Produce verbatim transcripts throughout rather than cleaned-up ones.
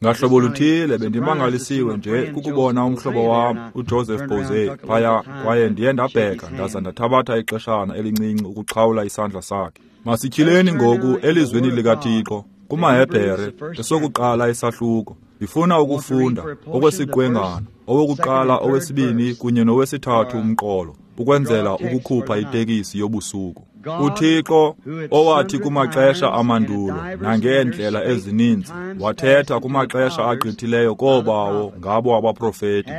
Ngahlobo luthile bendimangalisiwe nje kukubona umhlobo wam uJoseph Boze phaya, kwaye ndiye ndabheka ndaza ndathabatha ixeshana elincinci ukuxhawula isandla sakhe. Masityhileni ngoku elizwini likaThixo kumaHebhere esokuqala isahluko. Ndifuna ukufunda okwesiqwengana, owokuqala, owesibini kunye nowesithathu umqolo, ukwenzela ukukhupha itekisi yobusuku. UThixo owathi kumaxesha amandulo nangeendlela ezininzi wathetha kumaxesha agqithileyo koobawo ngabo abaprofeti,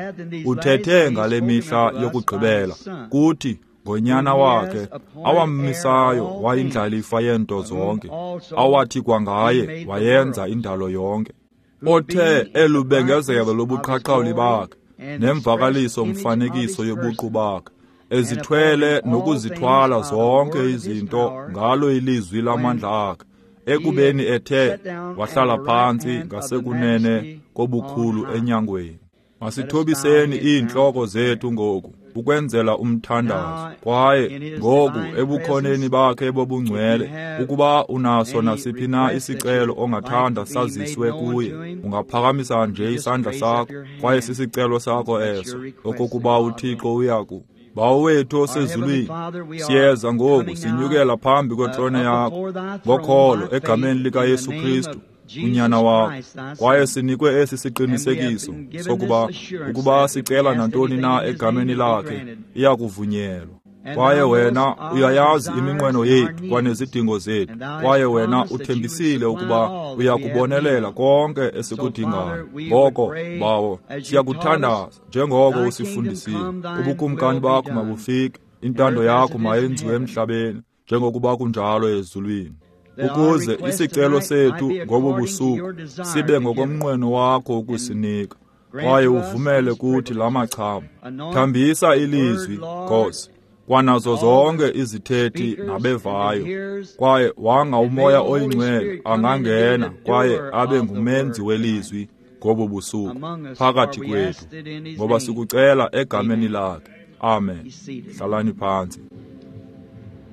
uthethe ngale mihla yokugqibela kuthi ngonyana wakhe awammisayo wayindlalifa yeento zonke, awathi kwangaye wayenza indalo yonke, othe elubengezelo lobuqhaqhawuli bakhe nemvakaliso mfanekiso yobuqu bakhe, ezithwele nokuzithwala zonke izinto ngalo ilizwi lamandla akhe, ekubeni ethe wahlala phantsi ngasekunene kobukhulu enyangweni. Masithobiseni iintloko zethu ngoku ukwenzela umthandazo. Kwaye ngoku ebukhoneni bakhe bobungcwele, ukuba unaso nasiphi na isicelo ongathanda saziswe kuye, ungaphakamisa nje isandla sakho, kwaye sisicelo sakho eso, okokuba uThixo uyaku. Bawo wethu osezulwini, siyeza ngoku sinyukela phambi kwetrone yakho ngokholo egameni likaYesu Kristu unyana wakho, kwaye sinikwe esi siqinisekiso sokuba ukuba sicela nantoni na egameni lakhe iyakuvunyelwa. Kwaye wena uyayazi iminqweno yethu kwanezidingo zethu, kwaye wena uthembisile ukuba uyakubonelela konke esikudingayo. Ngoko Bawo, siyakuthandaza njengoko usifundisile, ubukumkani bakho mabufike, intando yakho mayenziwe emhlabeni njengokuba kunjalo ezulwini, ukuze isicelo sethu ngobu busuku sibe ngokomnqweno wakho ukusinika, kwaye uvumele kuthi la machama. Thambisa ilizwi, Nkosi, kwanazo zonke izithethi nabevayo, kwaye wanga uMoya oyiNgcwele angangena kwaye abe ngumenzi welizwi ngobu busuku phakathi kwethu, ngoba sikucela egameni lakhe. Amen. Hlalani phantsi.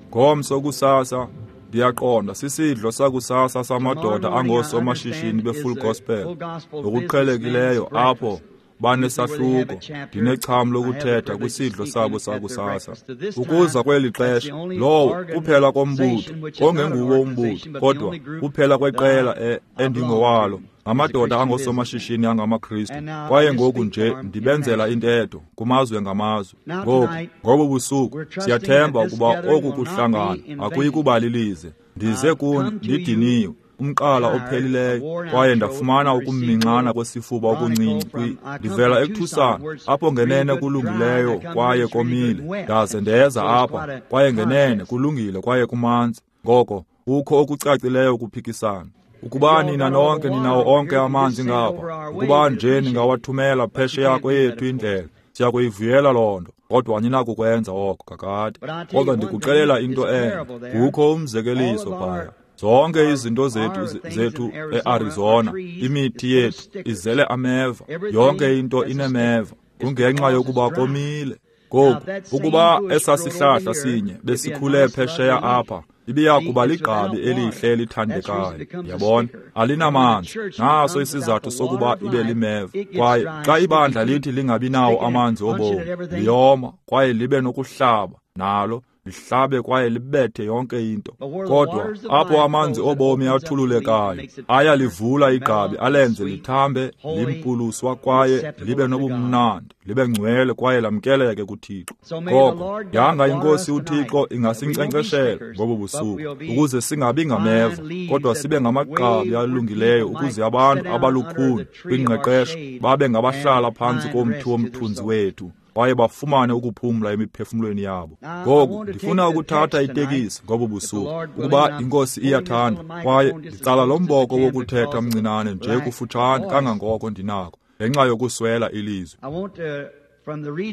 Ngomso kusasa ndiyaqonda sisidlo sakusasa samadoda angoosomashishini be-Full Gospel ngokuqhelekileyo apho banesahluko, ndinecham lokuthetha kwisidlo sabo sakusasa. Ukuza kweli xesha, lowo kuphela kombutho, ongenguwo umbutho, kodwa kuphela kweqela endingowalo, ngamadoda angosomashishini angamaKristu. Kwaye ngoku nje ndibenzela intetho kumazwe ngamazwe. Ngoku ngobu busuku siyathemba ukuba oku kuhlangana akuyi kuba lilize. Ndize kuni ndidiniwe, umqala ophelileyo, kwaye ndafumana ukuminxana kwesifuba okuncinci. Ndivela eTucson, apho ngenene kulungileyo kwaye komile, ndaze ndeza apha, kwaye ngenene kulungile kwaye kumanzi. Ngoko kukho okucacileyo ukuphikisana. Ukuba nina nonke ninawo onke amanzi ngapha, ukuba nje ningawathumela phesheya kweyethu indlela, siyakuyivuyela loo nto, kodwa aninakukwenza oko kakade. Kodwa ndikuxelela into enye, kukho umzekeliso phaya. Zonke izinto zethu zethu eArizona, imithi yethu izele ameva, yonke into inemeva, kungenxa yokuba komile. Ngoku ukuba esasihlahla sinye besikhule phesheya apha, ibiya kuba ligqabi elihle elithandekayo. Yabona, alinamanzi. Naso isizathu sokuba ibe limeva. Kwaye xa ibandla lithi lingabi nawo amanzi obomi, liyoma kwaye libe nokuhlaba nalo, lihlabe kwaye libethe yonke into. Kodwa apho amanzi obomi athululekayo, ayalivula igqabi alenze lithambe, limpuluswa kwaye libe nobumnandi, libe ngcwele kwaye lamkeleke kuThixo. Ngoko yanga iNkosi uThixo ingasinkcenkceshela ngobu busuku, ukuze singabi ngameva, kodwa sibe ngamagqabi alungileyo, ukuze abantu abalukhuni kwingqeqesho babe ngabahlala phantsi komthi womthunzi wethu, kwaye bafumane ukuphumla emiphefumlweni yabo. Ngoku ndifuna ukuthatha itekisi ngobu busuku, ukuba iNkosi iyathanda, kwaye ndicala lo mboko wokuthetha mncinane nje kufutshane kangangoko ndinako, ngenxa yokuswela ilizwi.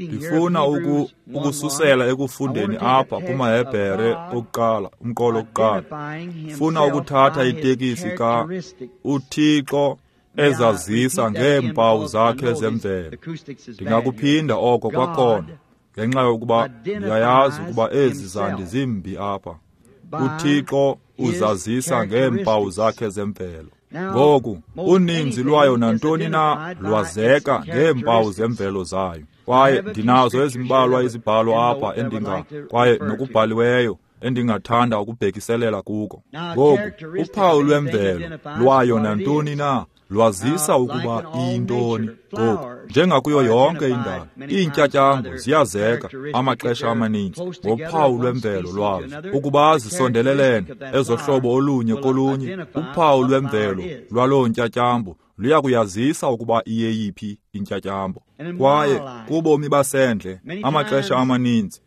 Ndifuna uku, ukususela ekufundeni apha kumaHebhere okuqala, umqolo wokuqala. Ndifuna ukuthatha itekisi ka uThixo ezazisa ngeempawu zakhe zemvelo. Ndingakuphinda oko kwakhona, ngenxa yokuba ndiyayazi ukuba ezi zandi zimbi apha. UThixo uzazisa ngeempawu zakhe zemvelo. Ngoku uninzi lwayo nantoni na lwazeka ngeempawu zemvelo zayo. Kwaye ndinazo ezimbalwa izibhalo apha endinga kwaye nokubhaliweyo endingathanda ukubhekiselela kuko. Ngoku uphawu lwemvelo lwayo nantoni na lwazisa ukuba iyintoni. Ngoku njengakuyo yonke indalo, iintyatyambo ziyazeka amaxesha amaninzi ngophawu lwemvelo lwazo. Ukuba zisondelelene ezohlobo olunye kolunye, uphawu lwemvelo lwaloo ntyatyambo luyakuyazisa ukuba iyeyiphi intyatyambo. Kwaye kubomi basendle amaxesha amaninzi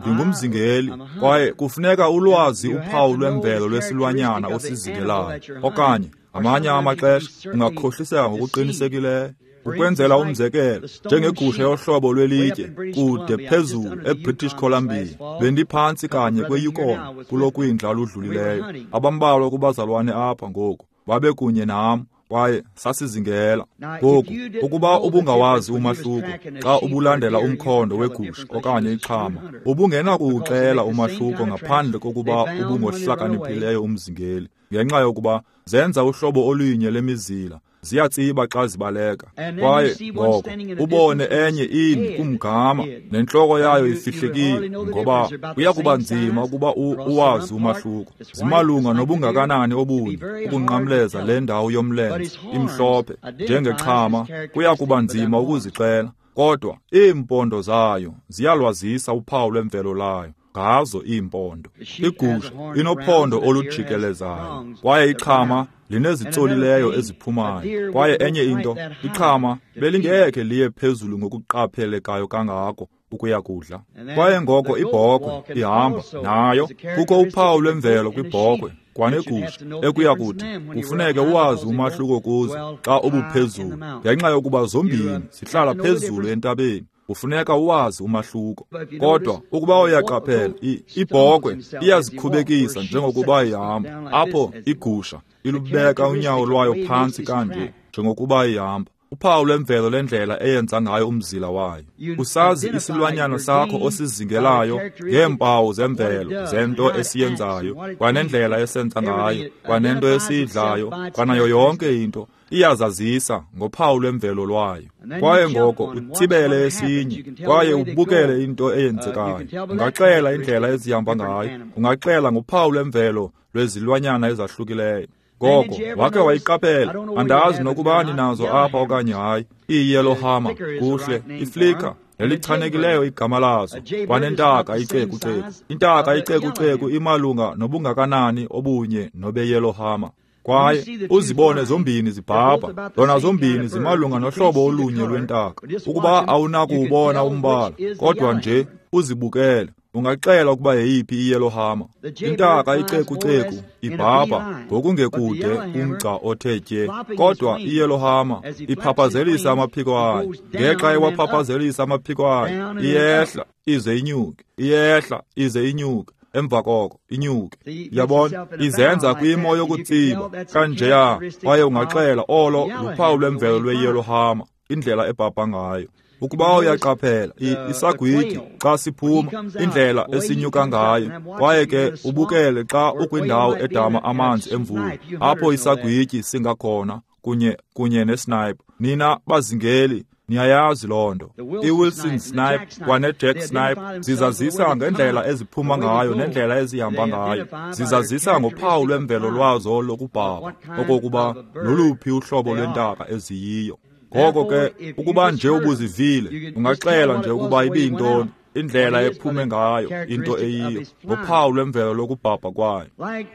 ndingumzingeli, kwaye kufuneka ulwazi uphawu lwemvelo lwesilwanyana osizingelayo, okanye amanye amaxesha ungakhohliseka ngokuqinisekileyo. Ukwenzela umzekelo, njengegusha yohlobo lwelitye kude phezulu eBritish Columbia, bendiphantsi kanye kweYukon kulo kwindla ludlulileyo. Abambalwa kubazalwane apha ngoku babekunye nam kwaye sasizingela. Ngoku ukuba ubungawazi umahluko xa ubulandela umkhondo wegusha okanye ixhama, ubungenakuwuxela umahluko ngaphandle kokuba ubungohlakaniphileyo umzingeli, ngenxa yokuba zenza uhlobo olunye lemizila, ziyatsiba xa zibaleka. Kwaye ngoko ubone enye imi kumgama nentloko yayo ifihlekile, ngoba kuya kuba nzima ukuba uwazi umahluko. Zimalunga nobungakanani obunye ukunqamleza le ndawo yomlenze imhlophe njengexhama, kuya kuba nzima ukuzixela. Kodwa iimpondo zayo ziyalwazisa uphawu lwemvelo layo ngazo iimpondo. Igusha inophondo olujikelezayo, kwaye ixhama linezitsolileyo eziphumayo. Kwaye enye into, ixhama belingekhe liye phezulu ngokuqaphelekayo kangako ukuya kudla. Kwaye ngoko ibhokhwe ihamba nayo, kukho uphawu lwemvelo kwibhokhwe kwanegusha ekuya kuthi kufuneke uwazi umahluko kuzo xa ubuphezulu, ngenxa yokuba zombini zihlala phezulu entabeni. Kufuneka uwazi umahluko. Kodwa ukuba uyaqaphela, ibhokhwe iyazikhubekisa njengokuba ihamba, apho igusha ilubeka unyawo lwayo phantsi kanje njengokuba ihamba. Uphawu lwemvelo lendlela eyenza ngayo umzila wayo. Usazi isilwanyana sakho osizingelayo ngeempawu zemvelo zento esiyenzayo, kwanendlela esenza ngayo, kwanento esiyidlayo, kwanayo yonke into iyazazisa ngophawu lwemvelo lwayo. Kwaye ngoko utsibele esinye kwaye ubukele into eyenzekayo. Ungaxela indlela ezihamba ngayo, ungaxela ngophawu lwemvelo lwezilwanyana ezahlukileyo. Ngoko wake wayiqaphela, andazi nokuba ninazo apha okanye hayi, iiyellow hammer, kuhle, iflicker nelichanekileyo igama lazo, kwanentaka icekuceku. Intaka icekuceku imalunga nobungakanani obunye nobeyellow hammer. Kwaye uzibone zombini zibhabha, zona zombini zimalunga nohlobo olunye lwentaka. Ukuba awunakuwubona umbala, kodwa nje uzibukele, ungaxela ukuba yeyiphi iyellow hammer. Intaka icekuceku ibhabha ngokungekude umgca othe tye, kodwa iyellow hammer iphaphazelisa amaphiko ayo. Ngexa iwaphaphazelisa amaphiko ayo, iyehla ize inyuke, iyehla ize inyuke, emva koko inyuke. Yabona, izenza kwimo yokutsiba kanjeya, kwaye ungaxela olo luphawu lwemvelo lweyellow hammer, indlela ebhabha ngayo. Ukuba uyaqaphela, isagwityi xa siphuma, indlela esinyuka ngayo, kwaye ke ubukele xa ukwindawo edama amanzi emvula, apho isagwityi singakhona kunye kunye nesnipe. Nina bazingeli niyayazi loo nto. I-Wilson snipe kwanejack snipe zizazisa ngendlela eziphuma ngayo nendlela ezihamba ngayo. Zizazisa ngophawu lwemvelo lwazo lokubhabha, okokuba loluphi uhlobo lwentaka eziyiyo. Ngoko ke ukuba nje ubuzivile, ungaxela nje ukuba ibiyintoni, indlela ephume ngayo, into eyiyo, ngophawu lwemvelo lokubhabha kwayo.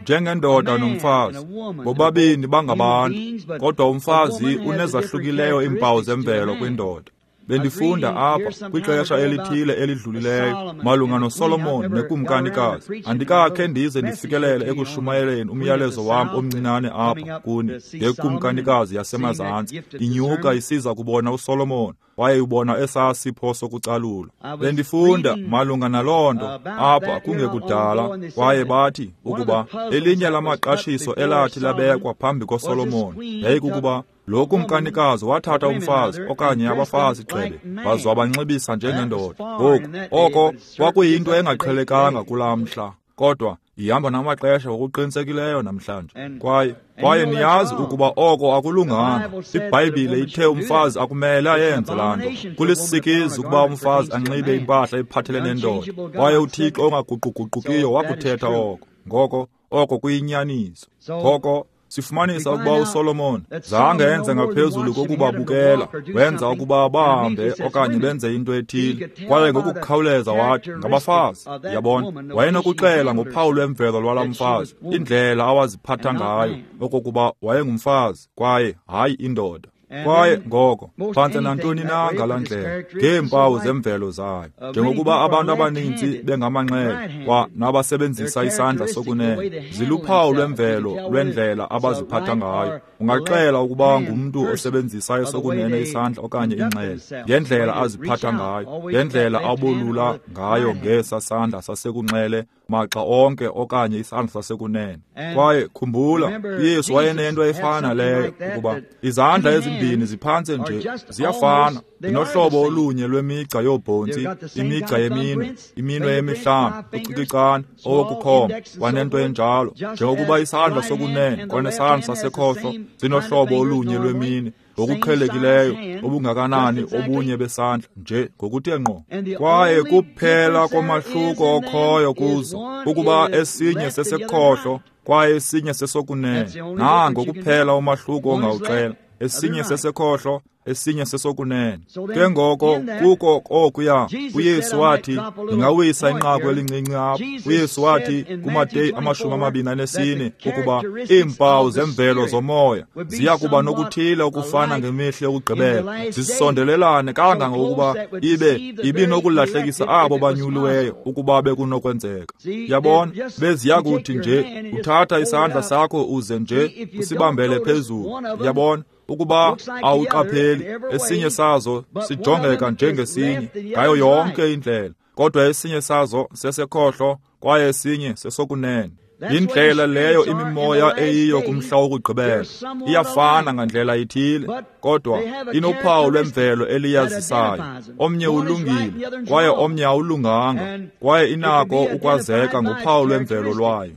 Njengendoda nomfazi, bobabini bangabantu, kodwa umfazi unezahlukileyo iimpawu zemvelo kwindoda. Bendifunda apha kwixesha elithile elidlulileyo malunga noSolomon nekumkanikazi. Andikakhe ndize ndifikelele ekushumayeleni umyalezo wam omncinane apha kuni ngekumkanikazi yasemazantsi inyuka isiza kubona uSolomon, waye ubona esaa sipho sokucalula. Bendifunda malunga naloo nto apha kungekudala, kwaye bathi ukuba elinye lamaqashiso elathi labekwa phambi koSolomon yayikukuba lo kumkanikazi wathatha umfazi okanye abafazi gxebe waze wabanxibisa njengendoda. Ngoku oko kwakuyinto engaqhelekanga kulaa mhla, kodwa Ihamba namaxesha ngokuqinisekileyo namhlanje. Kwaye kwaye niyazi ukuba oko akulunganga. IBhayibhile ithe umfazi akumele ayenze laa nto. Kulisikizi ukuba umfazi anxibe impahla ephathelene nendoda. Kwaye uThixo ongaguquguqukiyo wakuthetha oko. Ngoko oko kuyinyaniso. Ngoko sifumanisa ukuba uSolomon zange enze ngaphezulu kokubabukela, wenza ukuba bahambe okanye benze into ethile. Kwaye ngokukhawuleza wathi ngabafazi, yabona, wayenokuxela ngophawu lwemvelo lwalaa mfazi, indlela awaziphatha ngayo, okokuba wayengumfazi kwaye hayi indoda. Kwaye ngoko phantse nantoni na ngalaa ndlela ngeempawu zemvelo zayo, njengokuba abantu abaninzi bengamanxele kwa nabasebenzisa isandla sokunene, ziluphawu lwemvelo lwendlela abaziphatha ngayo. Ungaxela ukuba ngumntu osebenzisa esokunene isandla okanye inxele ngendlela aziphatha ngayo, ngendlela abolula ngayo ngesa sandla sasekunxele maxa onke okanye isandla sasekunene. Kwaye khumbula, uYesu wayenento efana leyo, ukuba izandla ezimbini ziphantse nje ziyafana, zinohlobo olunye lwemigca yoobhontsi, imigca yeminwe, iminwe emihlanu, ucikicane, owokukhomba, kwanento enjalo, njengokuba isandla sokunene kwanesandla sasekhohlo zinohlobo olunye lweminwe ngokuqhelekileyo obungakanani obunye besandla nje ngokuthe ngqo. Kwaye kuphela komahluko okhoyo kuzo ukuba esinye sesekhohlo kwaye esinye sesokunene. Nango kuphela umahluko ongawuxela, esinye sesekhohlo, esinye sesokunene. Ke ngoko kuko okuya uYesu wathi, ndingawisa inqaku elincinci apha. uYesu wathi kuMateyu amashumi amabini anesine ukuba iimpawu zemvelo zomoya ziya kuba nokuthile okufana ngemihla yokugqibela, zisondelelane kangangokuba ibe ibinokulahlekisa abo banyuliweyo ukuba bekunokwenzeka. Yabona, beziya kuthi nje uthatha isandla sakho uze nje usibambele phezulu. Yabona, ukuba awuqapheli, esinye sazo sijongeka njengesinye ngayo yonke indlela, kodwa esinye sazo sesekhohlo kwaye esinye sesokunene. Yindlela leyo imimoya eyiyo kumhla wokugqibela. Iyafana ngandlela ithile, kodwa inophawu lwemvelo eliyazisayo. Omnye ulungile kwaye omnye awulunganga, kwaye inako ukwazeka ngophawu lwemvelo lwayo.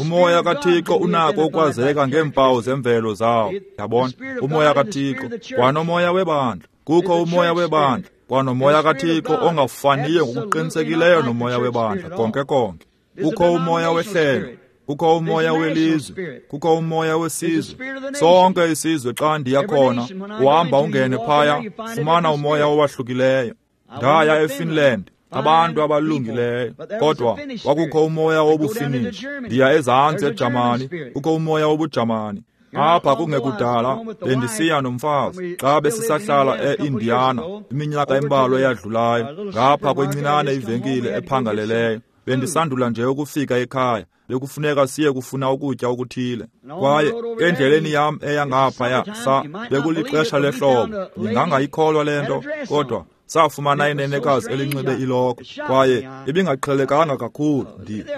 Umoya kaThixo unako ukwazeka ngeempawu zemvelo zawo. Yabona, umoya kaThixo kwanomoya webandla. Kukho umoya webandla kwanomoya kaThixo ongafaniyo ngokuqinisekileyo nomoya webandla konke konke. Kukho umoya wehlelo, kukho umoya welizwe, kukho umoya wesizwe. Sonke isizwe xa ndiya khona, uhamba ungene phaya, fumana umoya owahlukileyo. Ndaya eFinland, abantu abalungileyo, kodwa kwakukho umoya wobuFinish. Ndiya ezantsi eJamani, kukho umoya wobuJamani. Apha kungekudala bendisiya nomfazi xa besisahlala e-Indiana iminyaka embalwa eyadlulayo, ngapha kwencinane ivenkile ephangaleleyo. Bendisandula nje ukufika ekhaya, bekufuneka siye kufuna ukutya okuthile. Kwaye endleleni yam eya ngaphaya sa bekulixesha lehlobo. Ndingangayikholwa le nto, kodwa safumana inenekazi elinxibe ilokhwe, kwaye ibingaqhelekanga kakhulu.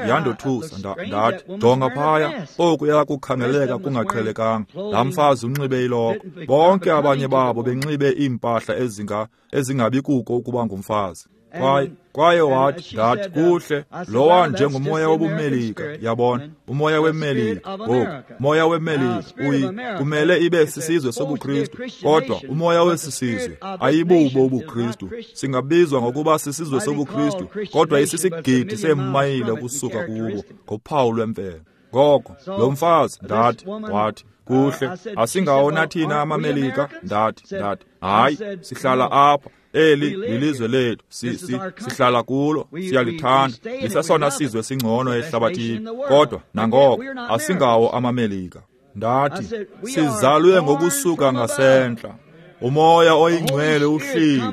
Yandothusa, ndathi, jonga phaya, okuya kukhangeleka kungaqhelekanga. Laa mfazi unxibe ilokhwe, bonke abanye babo benxibe iimpahla ezinga ezingabi kuko ukuba ngumfazi. Kwaye kwaye wathi, ndathi, kuhle, lowa njengomoya wobuMelika, yabona, umoya weMelika. Ngoku, umoya weMelika uyi kumele ibe sisizwe sobuKristu, kodwa umoya wesisizwe ayibubo ubuKristu. Singabizwa ngokuba sisizwe sobuKristu, kodwa isisigidi seemayile ukusuka kubo ngophawu lwemvelo. Ngoko lo mfazi, ndathi, wathi, kuhle, asingawona thina amaMelika? Ndathi, ndathi, hayi, sihlala apha. Eli lilizwe lethu, si, si, sihlala kulo, siyalithanda, lisesona sizwe singcono ehlabathini, kodwa nangoko asingawo amaMelika. Ndathi, sizalwe ngokusuka ngasentla, umoya oyingcwele uhlile,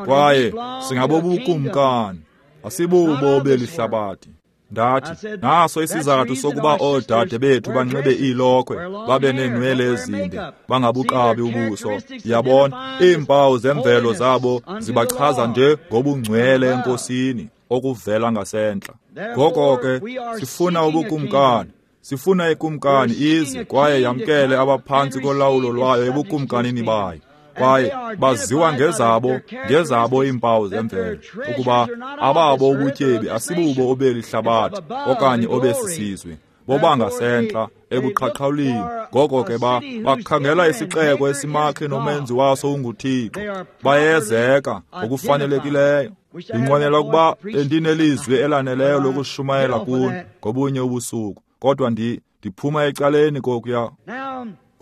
kwaye singabobukumkani, asibubo belihlabathi. Ndathi, naso isizathu sokuba oodade bethu banxibe iilokhwe, babe neenwele ezinde, bangabuqabi ubuso. Yabona, iimpawu zemvelo zabo zibachaza nje ngobungcwele eNkosini okuvela ngasentla. Ngoko ke sifuna ubukumkani, sifuna ikumkani ize kwaye yamkele abaphantsi kolawulo lwayo ebukumkanini bayo. Kwaye baziwa ngezabo ngezabo iimpawu zemvelo, ukuba ababo ubutyebi asibubo obeli hlabathi okanye obesisizwe, bobangasentla ebuqhaqhawulini. Ngoko ke ba bakhangela isixeko esimakhe nomenzi waso unguThixo. Bayezeka ngokufanelekileyo. Ndinqwenela ukuba bendinelizwi elaneleyo lokushumayela kuni ngobunye ubusuku, kodwa ndi ndiphuma ecaleni kokuya.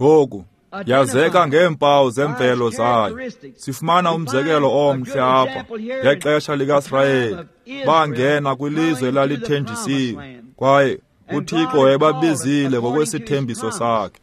Ngoku yazeka ngeempawu zemvelo zayo. Sifumana umzekelo omhle apha ngexesha likaSirayeli. Bangena kwilizwe elalithenjisiwe, kwaye uThixo wayebabizile ngokwesithembiso sakhe.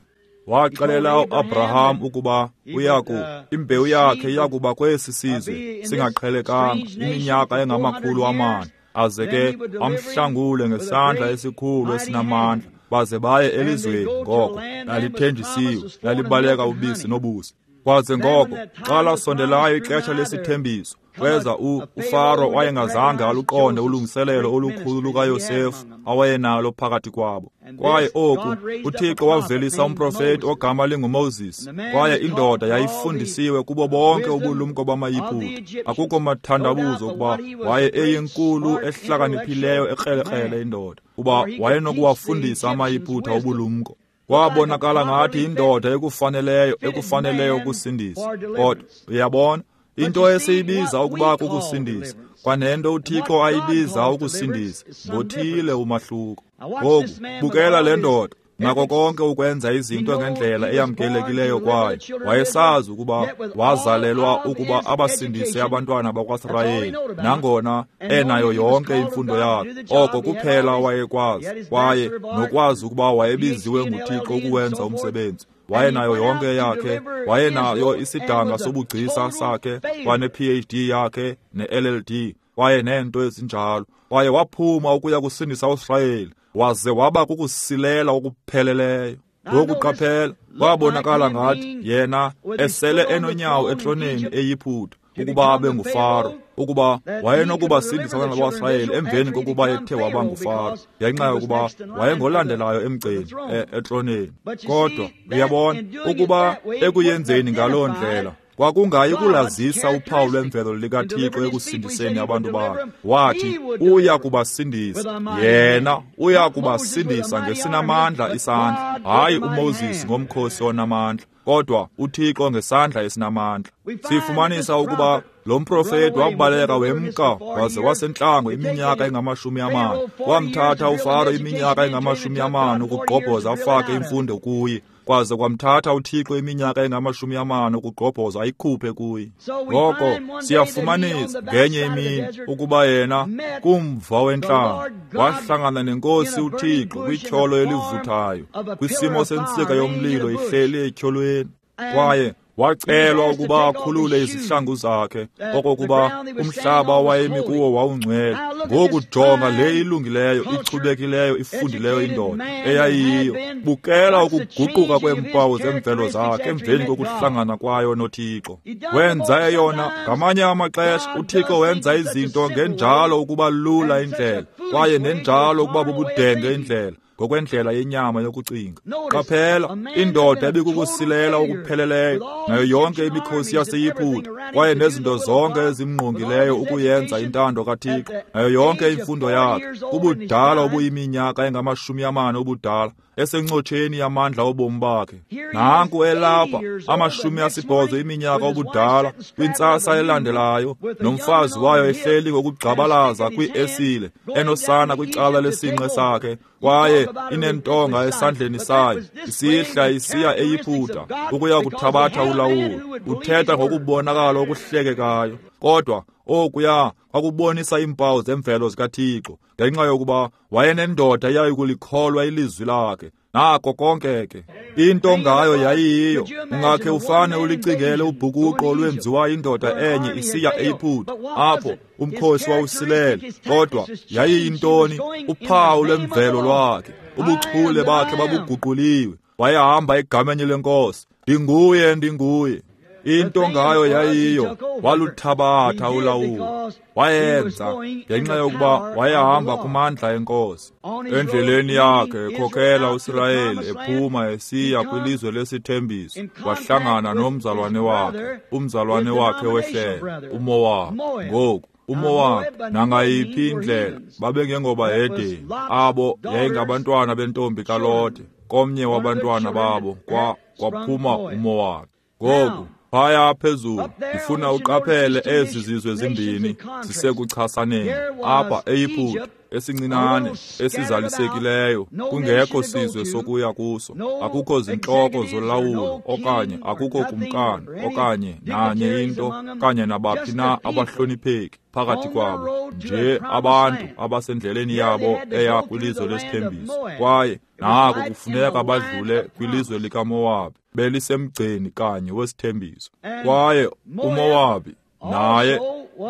Waxelela uAbraham ukuba uyaku imbewu yakhe iyakuba kwesi sizwe singaqhelekanga iminyaka engamakhulu amane, aze ke amhlangule ngesandla esikhulu esinamandla, baze baye elizweni ngoko lalithenjisiwe, lalibaleka ubisi nobusi. Kwaze ngoko xa lasondelayo ixesha lesithembiso, kweza uFaro wayengazange aluqonde ulungiselelo olukhulu lukaYosefu awayenalo phakathi kwabo. Kwaye oku uThixo wavelisa umprofeti ogama linguMoses, kwaye indoda yayifundisiwe kubo bonke ubulumko bamaYiputa. Akukho mathandabuzo ukuba waye eyinkulu ehlakaniphileyo ekrelekrele indoda, kuba wayenokuwafundisa amaYiputa ubulumko. Kwabonakala ngathi indoda ekufaneleyo ekufaneleyo ukusindisa. Kodwa uyabona, into esiyibiza ukuba kukusindisa kwanento uThixo ayibiza ukusindisa ngothile umahluko. Ngoku bukela le ndoda nako konke ukwenza izinto ngendlela eyamkelekileyo kwayo. Wayesazi ukuba wazalelwa ukuba abasindise abantwana bakwaSirayeli, nangona enayo yonke imfundo yakhe. Oko kuphela wayekwazi, kwaye nokwazi ukuba wayebiziwe nguThixo ukuwenza umsebenzi. Wayenayo yonke yakhe, wayenayo isidanga sobugcisa sakhe, kwane-P H D yakhe ne-L L D, kwaye neento ezinjalo. Kwaye waphuma ukuya kusindisa uSirayeli, waze waba kukusilela okupheleleyo. Ngoku qaphela, kwabonakala ngathi yena esele enonyawo etroneni eYiputa ukuba abe nguFaro, ukuba wayenokubasindisa abantwana bakwaSirayeli emveni kokuba ethe waba nguFaro, ngenxa yokuba wayengolandelayo emgceni etroneni. Kodwa uyabona ukuba ekuyenzeni ngaloo ndlela kwakungayi kulazisa uphawu lwemvelo likaThixo ekusindiseni abantu bakhe. Wathi uya kubasindisa yena, uya kubasindisa ngesinamandla isandla, hayi uMoses ngomkhosi onamandla, kodwa uThixo ngesandla esinamandla. Sifumanisa ukuba lo mprofeti wabaleka wemka waze wasentlango iminyaka engamashumi amane. Wamthatha uFaro iminyaka engamashumi amane ukugqobhoza afake imfundo kuye, kwaze kwamthatha uThixo iminyaka engamashumi amane ukugqobhoza ayikhuphe kuye. Ngoko siyafumanisa ngenye imini ukuba yena kumva wentlango wahlangana nenkosi uThixo kwityholo elivuthayo, kwisimo sentsika yomlilo ihleli etyholweni. Kwaye wacelwa ukuba akhulule izihlangu zakhe, okokuba umhlaba awayemi kuwo wawungcwele. Ngoku jonga le ilungileyo, ichubekileyo, ifundileyo indoda eyayiyo. Bukela ukuguquka kweempawu zemvelo zakhe emveni kokuhlangana kwayo noThixo. Wenza eyona ngamanye amaxesha uThixo wenza izinto ngenjalo ukuba lula indlela, kwaye nenjalo ukuba bubudenge indlela, ngokwendlela yenyama yokucinga. Qaphela, indoda ebikukusilela okupheleleyo nayo yonke imikhosi yaseYiputa, kwaye nezinto zonke ezimngqongileyo ukuyenza intando kaThixo, nayo yonke imfundo yakhe, ubudala obuyiminyaka engamashumi amane ubudala, esencotsheni yamandla obomi bakhe. Nanku elapha amashumi asibhozo iminyaka obudala, kwintsasa elandelayo, nomfazi wayo ehleli ngokugxabalaza kwiesile, enosana kwicala lesinqe sakhe, kwaye inentonga esandleni sayo, isihla isiya eYiputa ukuya kuthabatha ulawulo. Uthetha ngokubonakala okuhlekekayo, kodwa okuya kwakubonisa iimpawu zemvelo zikaThixo, ngenxa yokuba wayenendoda eyayikulikholwa ilizwi lakhe. Nako konke ke into ngayo yayiyiyo. Ungakhe ufane ulicingele ubhukuqo olwenziwa indoda enye isiya eYiputa, apho umkhosi wawusilele. Kodwa yayiyintoni? Uphawu lwemvelo lwakhe, ubuchule bakhe babuguquliwe. Wayehamba egameni lenkosi. Ndinguye, ndinguye. Into ngayo yayiyo, waluthabatha ulawulo. Wayenza ngenxa yokuba wayehamba kumandla enkosi. Endleleni yakhe ekhokela uSirayeli ephuma esiya kwilizwe lesithembiso, wahlangana nomzalwane wakhe, umzalwane wakhe wehlelo, uMowabi. Ngoku uMowabi nangayiphi indlela babengengobahedeni, abo yayingabantwana bentombi kaLote. Komnye wabantwana babo kwa kwaphuma uMowabi. Ngoku phaya phezulu ndifuna uqaphele ezi zizwe zimbini zisekuchasaneni. Apha eYiputa esincinane esizalisekileyo, kungekho sizwe sokuya kuso, akukho zintloko zolawulo okanye akukho kumkani okanye nanye into okanye nabaphi na abahlonipheki phakathi kwabo, nje abantu abasendleleni yabo eya kwilizwe lesithembiso. Kwaye nako kufuneka badlule kwilizwe likaMowabi, belisemgceni kanye wesithembiso. Kwaye uMowabi naye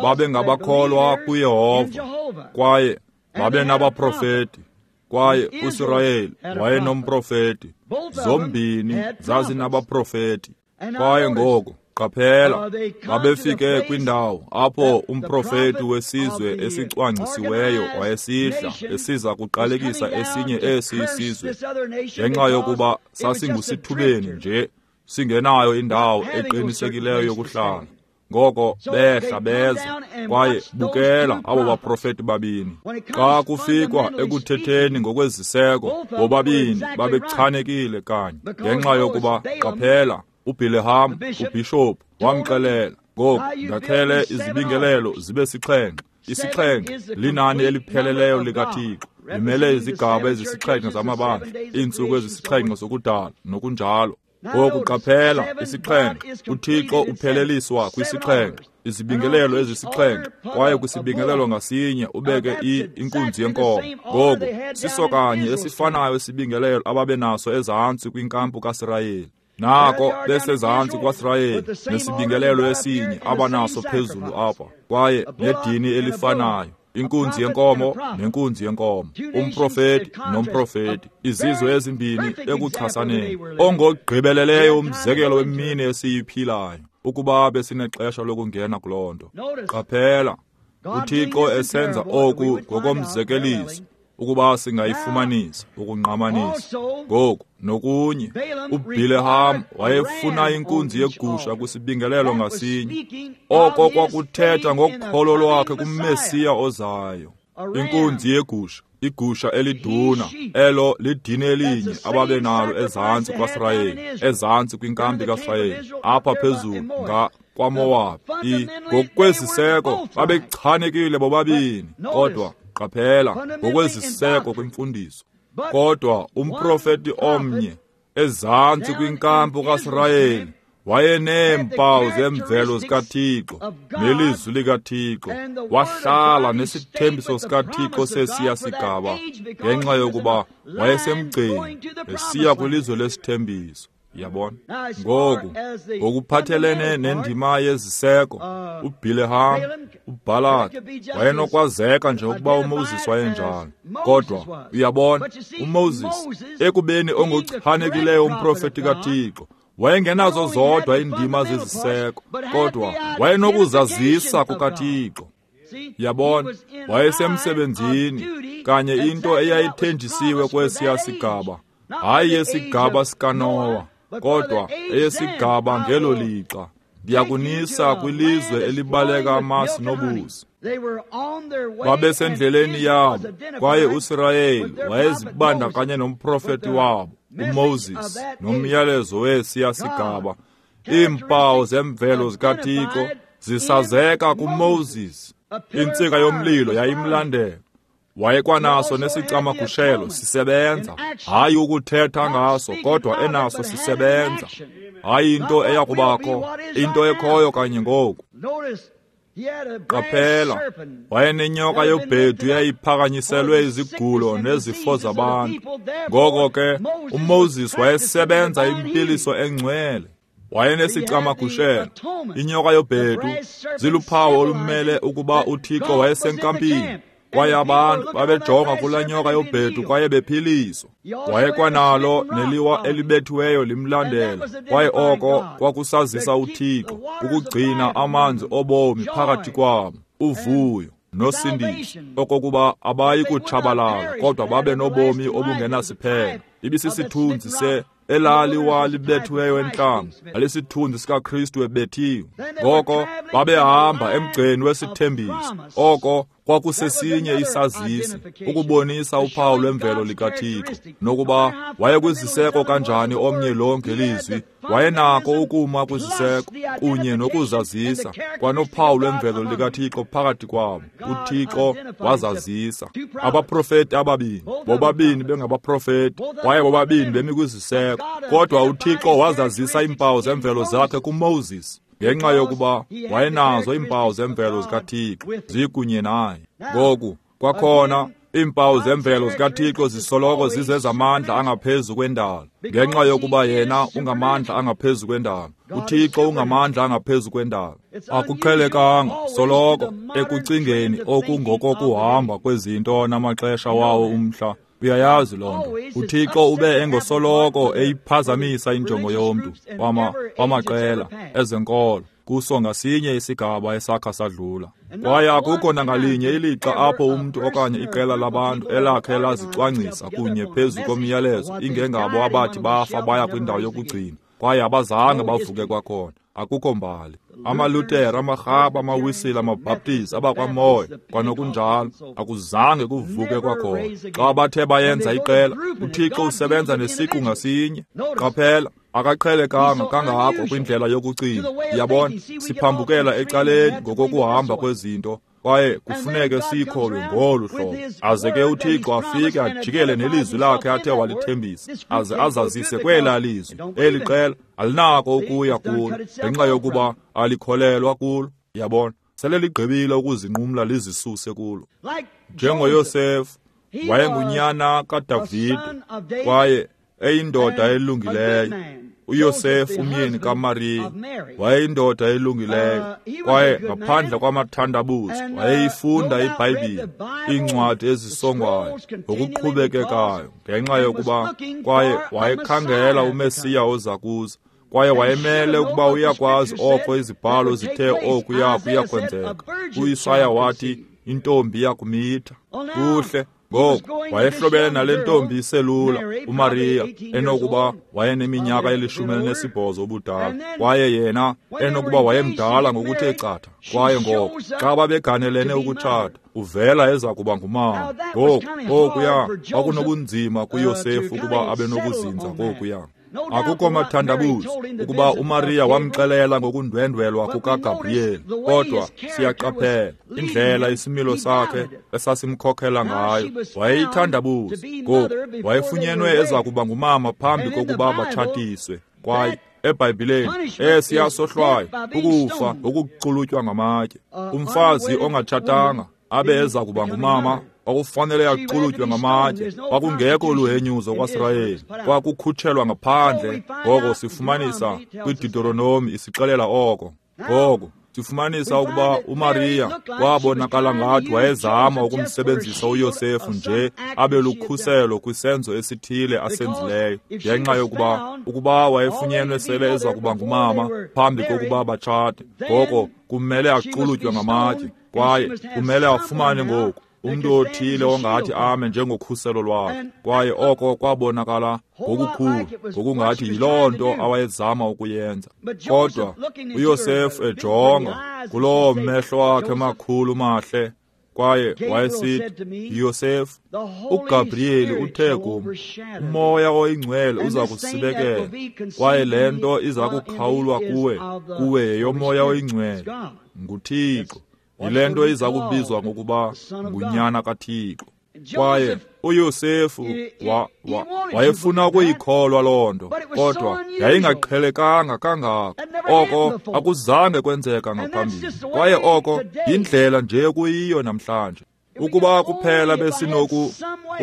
babengabakholwa kuYehova, kwaye babenabaprofeti, kwaye uSirayeli wayenomprofeti. Zombini zazinabaprofeti. Kwaye ngoko qaphela, babefike kwindawo apho umprofeti wesizwe esicwangcisiweyo wayesihla esiza kuqalekisa esinye esi isizwe, ngenxa yokuba sasingusithubeni nje, singenayo indawo eqinisekileyo yokuhlala. Ngoko behla beza, kwaye bukela abo baprofeti babini. Xa kufikwa ekuthetheni ngokweziseko, bobabini babechanekile kanye, ngenxa yokuba qaphela, uBileham ubhishophu wamxelela, ngoku ndakhele izibingelelo zibe sixhenxe. Isixhenxe linani elipheleleyo likaThixo, limele izigaba ezisixhenxe zamabandla, iintsuku ezisixhenxe zokudala nokunjalo. Ngoku qaphela, isixhenxe, uThixo upheleliswa kwisixhenxe, izibingelelo ezisixhenxe, kwaye kwisibingelelo ngasinye ubeke inkunzi yenkomo. Ngoku siso kanye esifanayo isibingelelo ababenaso ezantsi kwinkampu kaSirayeli. Nako besezantsi kwaSirayeli nesibingelelo esinye abanaso phezulu apha, kwaye nedini elifanayo, inkunzi yenkomo nenkunzi yenkomo, umprofeti nomprofeti, izizwe ezimbini ekuchasaneni. Ongogqibeleleyo umzekelo wemini esiyiphilayo, ukuba besinexesha lokungena kuloo nto. Qaphela, uThixo esenza oku ngokomzekeliso, ukuba singayifumanisa ukungqamanisa. Ngoku nokunye, uBileham wayefuna inkunzi yegusha kwisibingelelo ngasinye. Oko kwakuthetha ngokholo lwakhe kuMesiya ozayo. Inkunzi yegusha, igusha eliduna, elo lidini elinye ababenalo ezantsi kwaSirayeli, ezantsi kwinkampi kaSirayeli, apha phezulu nga kwaMowabi. Ngokweziseko babechanekile bobabini, kodwa qaphela, ngokweziseko kwimfundiso. Kodwa umprofeti omnye ezantsi kwinkampu kaSirayeli wayeneempawu zemvelo zikaThixo nelizwi likaThixo, wahlala nesithembiso sikaThixo sesiya sigaba, ngenxa yokuba wayesemgceni esiya kwilizwe lesithembiso. Yabona? Ngoku ngokuphathelene nendima yeziseko, uBileham, uBhalaki wayenokwazeka nje ukuba uMoses wayenjalo. Kodwa uyabona, uMoses ekubeni ongochanekileyo umprofeti kaThixo, wayengenazo zodwa iindima zeziseko, kodwa wayenokuzazisa kukaThixo. Yabona, wayesemsebenzini kanye into eyayithenjisiwe kwesiya sigaba, hayi yesigaba sikaNowa, kodwa eyesigaba ngelo lixa. Ndiyakunisa kwilizwe elibaleka amasi nobusi. Babesendleleni yabo, kwaye uSirayeli wayezibandakanye nomprofeti wabo uMoses nomyalezo wesiya sigaba. Iimpawu zemvelo zikaThixo zisazeka kuMoses. Intsika yomlilo yayimlandela. Wayekwanaso nesicamagushelo sisebenza, hayi ukuthetha ngaso, kodwa enaso sisebenza. Hayi into eyakubakho, into ekhoyo kanye ngoku. Qaphela, wayenenyoka yobhedu eyayiphakanyiselwe izigulo nezifo zabantu. Ngoko ke uMoses wayesebenza impiliso engcwele. Wayenesicamagushelo, inyoka yobhedu, ziluphawu olumele ukuba uThixo wayesenkampini. Kwaye abantu babejonga kulaa nyoka yobhedu kwaye bephiliswa. Wayekwanalo neliwa elibethiweyo limlandela, kwaye oko kwakusazisa uThixo ukugcina amanzi obomi phakathi kwabo, uvuyo nosindiso, okokuba abayi kutshabalala kodwa babe nobomi obungenasiphelo. Ibisisithunzi se elaliwa libethiweyo entlango, alisithunzi sikaKristu ebethiwe. Ngoko babehamba emgceni wesithembiso. Oko kwakusesinye isazisi ukubonisa uphawu lwemvelo likaThixo, nokuba wayekwiziseko kanjani omnye lo ngelizwi. Wayenako ukuma kwiziseko kunye nokuzazisa kwanophawu lwemvelo likaThixo phakathi kwabo. UThixo wazazisa. Abaprofeti ababini, bobabini bengabaprofeti, kwaye bobabini bemi kwiziseko, kodwa uThixo wazazisa iimpawu zemvelo zakhe kuMoses, ngenxa yokuba wayenazo iimpawu zemvelo zikaThixo zikunye naye. Ngoku kwakhona iimpawu zemvelo zikaThixo zisoloko zizezamandla angaphezu kwendalo, ngenxa yokuba yena ungamandla angaphezu kwendalo. UThixo ungamandla angaphezu kwendalo. Akuqhelekanga soloko ekucingeni okungokokuhamba kwezinto namaxesha wawo umhla. Uyayazi loo nto. UThixo ube engosoloko eyiphazamisa injongo yomntu wama wamaqela ezenkolo kuso ngasinye isigaba esakha sadlula. Kwaye akukho nangalinye ilixa apho umntu okanye iqela labantu elakhe lazicwangcisa kunye phezu komyalezo ingengabo abathi bafa baya kwindawo yokugcina, kwaye abazange bavuke kwakhona. Akukho mbali. AmaLutera, amaRhaba, amaWisile, amaBhaptizi, abakwaMoya kwanokunjalo, akuzange kuvuke kwakhona. Xa bathe bayenza iqela, uThixo usebenza nesiqu ngasinye. Qaphela, akaqhelekanga kangako kwindlela yokucinga. Yabona, siphambukela ecaleni ngokokuhamba kwezinto, kwaye kufuneke siyikholwe ngolu hlobo. Aze ke uThixo afike ajikele nelizwi lakhe athe walithembisa, aze azazise kwelaa lizwi. Eli qela alinako ukuya kulo ngenxa yokuba alikholelwa kulo. Yabona, sele ligqibile ukuzinqumla lizisuse kulo. NjengoYosefu, wayengunyana kaDavide kwaye eyindoda elungileyo. uYosefu umyeni kaMariya wayeyindoda elungileyo, kwaye ngaphandle kwamathandabuzo wayeyifunda iBhayibhile, iincwadi ezisongwayo ngokuqhubekekayo, ngenxa yokuba kwaye wayekhangela uMesiya oza kuza, kwaye wayemele ukuba uyakwazi oko izibhalo zithe okuya kuya kwenzeka. UIsaya wathi intombi iyakumitha. Kuhle. Ngoku wayehlobene nale ntombi iselula uMariya, enokuba wayeneminyaka elishumi elinesibhozo ubudala, kwaye yena enokuba wayemdala ngokuthe chatha. Kwaye ngoku xa babeganelene ukutshata, uvela eza kuba ngumama. Ngoku kokuya kwakunobunzima kuYosefu ukuba abe nokuzinza kokuya. Akukho mathandabuzo ukuba uMariya wamxelela ngokundwendwelwa kukaGabriyeli, kodwa siyaqaphela indlela isimilo sakhe esasimkhokhela ngayo. Wayeyithandabuza. Ngoku wayefunyenwe eza kuba ngumama phambi kokuba batshatiswe. Kwaye eBhayibhileni esiya sohlwayo ukufa ngokuxulutywa ngamatye. Umfazi ongatshatanga abe eza kuba ngumama kwakufanele yaxulutywe ngamatye. Kwakungekho luhenyuzo kwaSirayeli, kwakukhutshelwa ngaphandle. Ngoko sifumanisa kwiDeuteronomi isixelela oko. Ngoko sifumanisa ukuba uMariya wabonakala ngathi wayezama ukumsebenzisa uYosefu nje abe lukhuselo kwisenzo esithile asenzileyo, ngenxa yokuba ukuba wayefunyenwe sele eza kuba ngumama phambi kokuba batshate, ngoko kumele axulutywe ngamatye, kwaye kumele afumane ngoku umntu othile ongathi ame njengokhuselo lwakhe. Kwaye oko kwabonakala ngokukhulu ngokungathi yiloo nto awayezama ukuyenza. Kodwa uYosefu ejonga kuloo mehlo akhe makhulu mahle, kwaye wayesithi, Yosefu, uGabriyeli uthe kum, uMoya oyiNgcwele uza kusibekela, kwaye le nto iza kukhawulwa kuwe, kuwe yeyoMoya oyiNgcwele, nguThixo. Yile nto iza kubizwa ngokuba ngunyana kaThixo. Kwaye uYosefu wa, wa, wayefuna ukuyikholwa loo nto, kodwa yayingaqhelekanga kangako. Oko akuzange kwenzeka ngaphambili, kwaye oko yindlela nje kuyiyo namhlanje. Ukuba kuphela besinoku,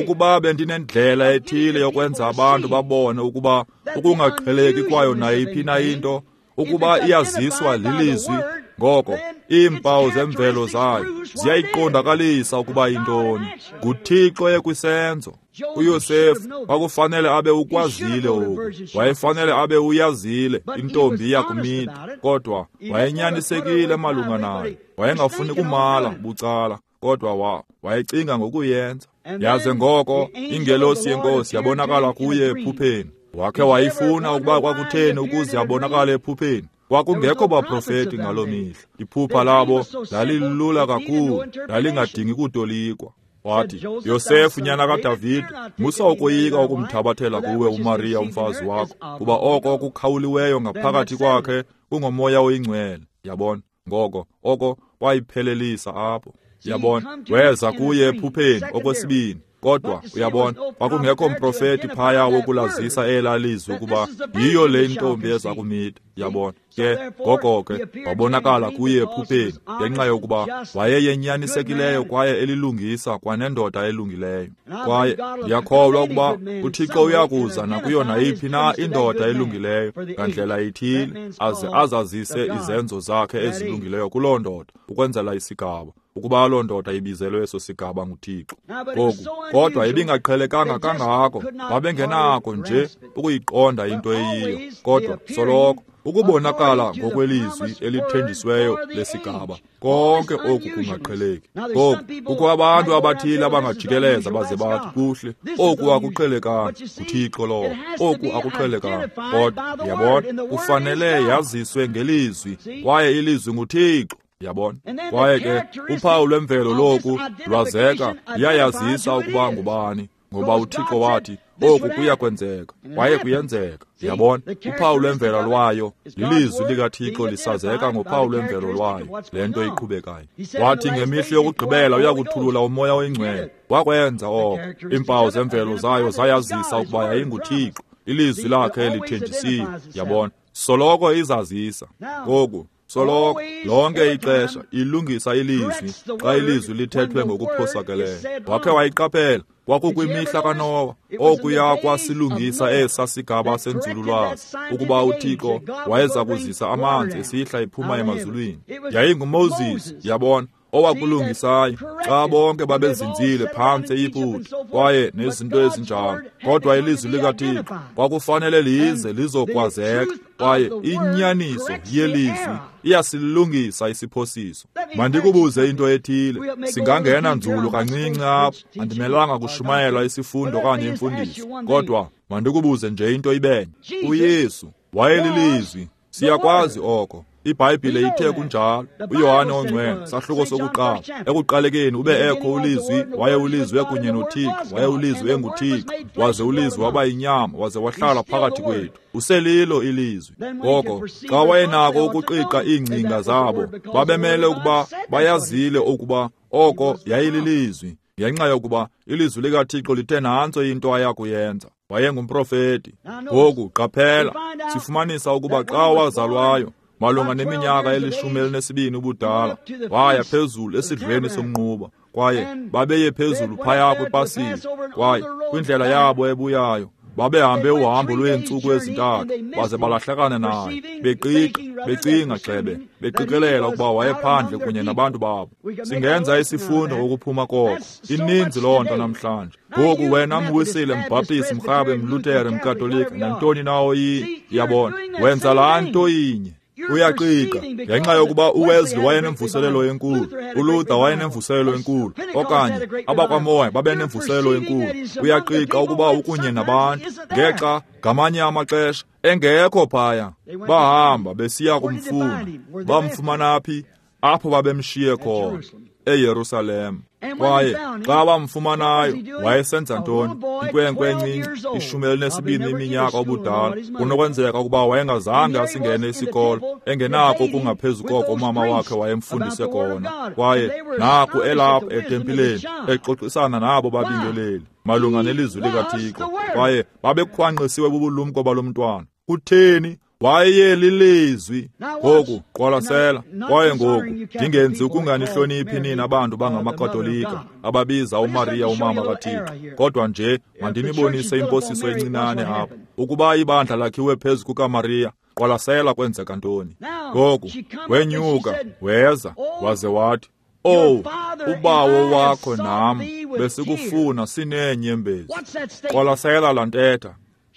ukuba bendinendlela ethile yokwenza abantu babone ukuba ukungaqheleki kwayo nayiphi na into, ukuba iyaziswa lilizwi, Ngoko iimpawu zemvelo zayo ziyayiqondakalisa ukuba yintoni. NguThixo ekwisenzo. UYosefu kwakufanele abe ukwazile oku, wayefanele abe uyazile intombi iyakumitha, kodwa wayenyanisekile malunga nayo. Wayengafuni kumala bucala, kodwa wa wayecinga ngokuyenza. Yaze ngoko ingelosi yenkosi yabonakala kuye ephupheni. Wakhe wayifuna ukuba kwakutheni ukuze abonakale ephupheni. Kwakungekho baprofeti ngaloo mihla. Iphupha labo lalilula kakhulu, lalingadingi kutolikwa. Wathi, Yosefu nyana kaDavide, musa ukoyika ukumthabathela kuwe uMariya umfazi wakho, kuba oko kukhawuliweyo ngaphakathi kwakhe kungomoya oyingcwele. Yabona? Ngoko oko wayiphelelisa apho. Yabona? Weza kuye ephupheni okwesibini. Kodwa uyabona, kwakungekho mprofeti phaya wokulazisa elaa lizwi ukuba yiyo le ntombi eza kumitha. Yabona? Ke ngoko ke wabonakala kuye ephupheni ngenxa yokuba wayeyenyanisekileyo kwaye elilungisa kwanendoda elungileyo. Kwaye ndiyakholwa ukuba uThixo uyakuza nakuyo nayiphi na indoda elungileyo ngandlela ithile, aze azazise izenzo zakhe ezilungileyo kuloo ndoda ukwenzela isigaba, ukuba loo ndoda ibizelwe eso sigaba nguThixo. Ngoku kodwa ibingaqhelekanga kangako, babengenako nje ukuyiqonda into eyiyo. Kodwa soloko ukubonakala ngokwelizwi elithenjisweyo lesigaba, konke oku kungaqheleki. Ngoku kukho abantu abathile abangajikeleza baze bathi, kuhle, oku akuqhelekanga, nguThixo lowo, oku akuqhelekanga. Kodwa yabona, kufanele yaziswe ngelizwi, kwaye ilizwi nguThixo. Yabona? Kwaye ke uphawu lwemvelo loku lwazeka, liyayazisa ukuba ngubani, ngoba uThixo wathi oku kuyakwenzeka, kwaye kuyenzeka. Yabona? Uphawu lwemvelo lwayo lilizwi likaThixo lisazeka ngophawu lwemvelo lwayo le nto iqhubekayo. Wathi ngemihla yokugqibela uyakuthulula umoya oyingcwele. Wakwenza oko. Iimpawu zemvelo zayo zayazisa ukuba yayinguThixo, ilizwi lakhe lithenjisiwe. Yabona? Soloko izazisa. Ngoku soloko lonke ixesha ilungisa ilizwi xa ilizwi lithethwe ngokuphosakeleyo. Wakhe wayiqaphela, kwakukwimihla kaNowa, okuya kwasilungisa esa sigaba senzululwazi, ukuba uThixo wayeza kuzisa amanzi esihla ephuma emazulwini. YayinguMoses, yabona, owakulungisayo xa bonke babezinzile phantsi eYiputa kwaye nezinto ezinjalo. Kodwa ilizwi likaThixo kwakufanele lize lizokwazeka, kwaye inyaniso yelizwi iyasilungisa isiphosiso. Mandikubuze into ethile, singangena nzulu kancinci apha, andimelanga kushumayela isifundo okanye imfundiso, kodwa mandikubuze nje into ibenye. UYesu wayelilizwi, siyakwazi oko. IBhayibhile ithe kunjalo. uYohane ongcwele, sahluko sokuqala, ekuqalekeni ube ekho ulizwi, waye ulizwi kunye noThixo, waye ulizwi enguThixo, waze ulizwi waba yinyama, waze wahlala phakathi kwethu. Uselilo ilizwi. Ngoko xa wayenako ukuqiqa iingcinga zabo, babemele ukuba bayazile ukuba oko yayililizwi, ngenxa yokuba ilizwi likaThixo lithe nantso into ayakuyenza. Wayengumprofeti. Ngoku qaphela, sifumanisa ukuba xa wazalwayo malunga neminyaka elishumi elinesibini ubudala, waya phezulu esidlweni somnquba, kwaye babeye phezulu phaya kwipasika, kwaye kwindlela yabo ebuyayo babehambe uhambo lweentsuku ezintathu, baze balahlekana naye, beqiqa, becinga gxebe, beqikelela ukuba wayephandle kunye nabantu babo. Singenza isifundo ngokuphuma koko. Ininzi loo nto namhlanje. Ngoku wena mwisile, mbhaptisi, mrhabe, mlutere, mkatolika, nantoni na oyiyo, yabona, wenza laa nto inye. Uyaqiqa ngenxa yokuba uWesley wayenemvuselelo enkulu, uLuther wayenemvuselelo enkulu, okanye abakwaMoya babenemvuselelo enkulu. Uyaqiqa ukuba ukunye nabantu, ngexa ngamanye amaxesha engekho phaya. Bahamba besiya kumfuna. Bamfumana phi? Apho babemshiye khona, eYerusalem. Kwaye xa bamfumanayo, wayesenza ntoni? Inkwenkwe encinci, ishumi elinesibini iminyaka ubudala. Kunokwenzeka ukuba wayengazange asingene isikolo, engenako okungaphezu koko umama wakhe wayemfundise kona. Kwaye naku elapha etempileni, exoxisana nabo babingeleli malunga nelizwi likaThixo. Kwaye babekhwanqisiwe bubulumko balo mntwana. Kutheni? Wayelilizwi. Ngoku qwalasela. Kwaye ngoku ndingenzi ukunganihloniphi nina abantu bangamakatolika ababiza uMariya umama kaThixo, kodwa nje mandinibonise imposiso encinane apha. Ukuba ibandla lakhiwe phezu kukaMariya, qwalasela kwenzeka ntoni. Ngoku wenyuka weza waze wathi, "Oh, ubawo wakho nam besikufuna sineenyembezi." Qwalasela laa ntetha.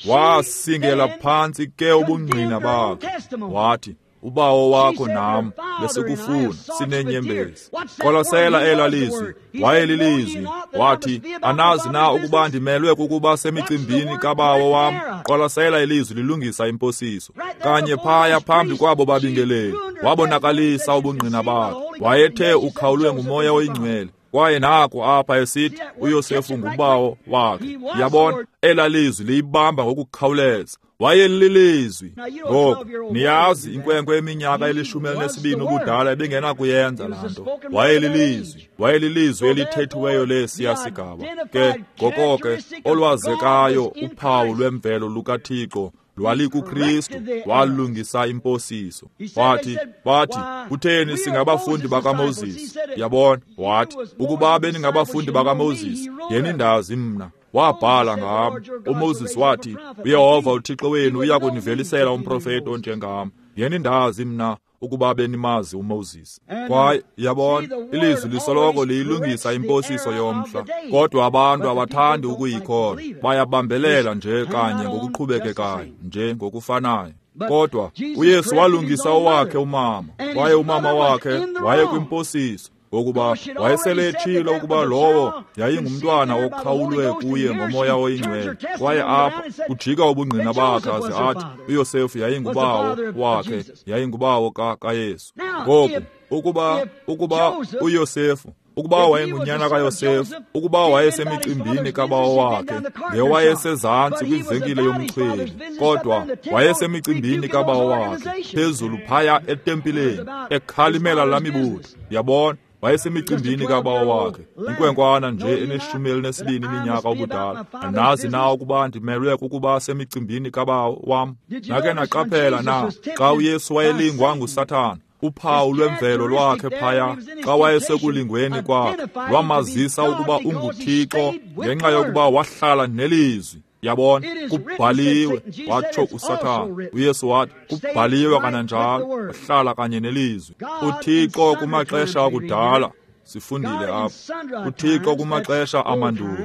Wasingela phantsi ke ubungqina bakhe. Wathi, "Ubawo wakho nam besikufuna sineenyembezi." Qwalasela elaa lizwi. Wayelilizwi. Wathi, "Anazi na ukuba ndimelwe kukuba semicimbini kabawo wam?" Qwalasela ilizwi lilungisa imposiso. Kanye phaya phambi kwabo babingeleli wabonakalisa ubungqina bakhe. Wayethe ukhawulwe nguMoya oyiNgcwele. Kwaye naku apha esithi uYosefu ngubawo wakhe. Yabona, elaa lizwi liyibamba ngokukhawuleza. Wayelilizwi. Ngoku niyazi inkwenkwe eminyaka elishumi elinesibini ubudala ebingenakuyenza laa nto. Wayelilizwi. Wayelilizwi elithethiweyo lesiya sigaba. Ke ngoko ke olwazekayo uphawu lwemvelo lukaThixo lwalikuKristu. Walungisa imposiso. Wathi, wathi, "Kutheni singabafundi bakaMoses?" Yabona, wathi, "Ukuba beningabafundi bakaMoses, ngenindazi mna." Wabhala ngam. uMoses wathi, "uYehova uThixo wenu uya kunivelisela umprofeti onjengam. Ngenindazi mna ukuba benimazi uMoses." Kwaye yabona, ilizwi lisoloko liyilungisa imposiso yomhla, kodwa abantu abathandi ukuyikholwa. Bayabambelela nje kanye ngokuqhubekekayo, nje ngokufanayo. Kodwa uYesu walungisa owakhe umama, kwaye umama wakhe wayekwimposiso, ngokuba wayesele etshilo ukuba lowo yayingumntwana okhawulwe kuye ngoMoya oyiNgcwele. Kwaye apha kujika ubungqina bakhe aze athi uYosefu yayingubawo wakhe, yayingubawo kaYesu. Ngoku ukuba ukuba uYosefu, ukuba wayengunyana kaYosefu, ukuba wayesemicimbini kabawo wakhe, ngewayesezantsi kwivenkile yomchweli, kodwa wayesemicimbini kabawo wakhe phezulu phaya etempileni ekhalimela laa mibutho. Yabona, wayesemicimbini kabawo wakhe, inkwenkwana nje eneshumi elinesibini iminyaka ubudala. Anazi na ukuba ndimelwe kukuba semicimbini kabawo wam? Nake naqaphela na xa uYesu wayelingwa nguSathana, uphawu lwemvelo lwakhe phaya xa wayesekulingweni kwakhe lwamazisa ukuba unguThixo ngenxa yokuba wahlala nelizwi. Yabona, kubhaliwe, watsho uSathana. uYesu wathi, kubhaliwe kananjalo, wahlala kanye nelizwi. UThixo kumaxesha akudala, sifundile apha, uThixo kumaxesha amandulo,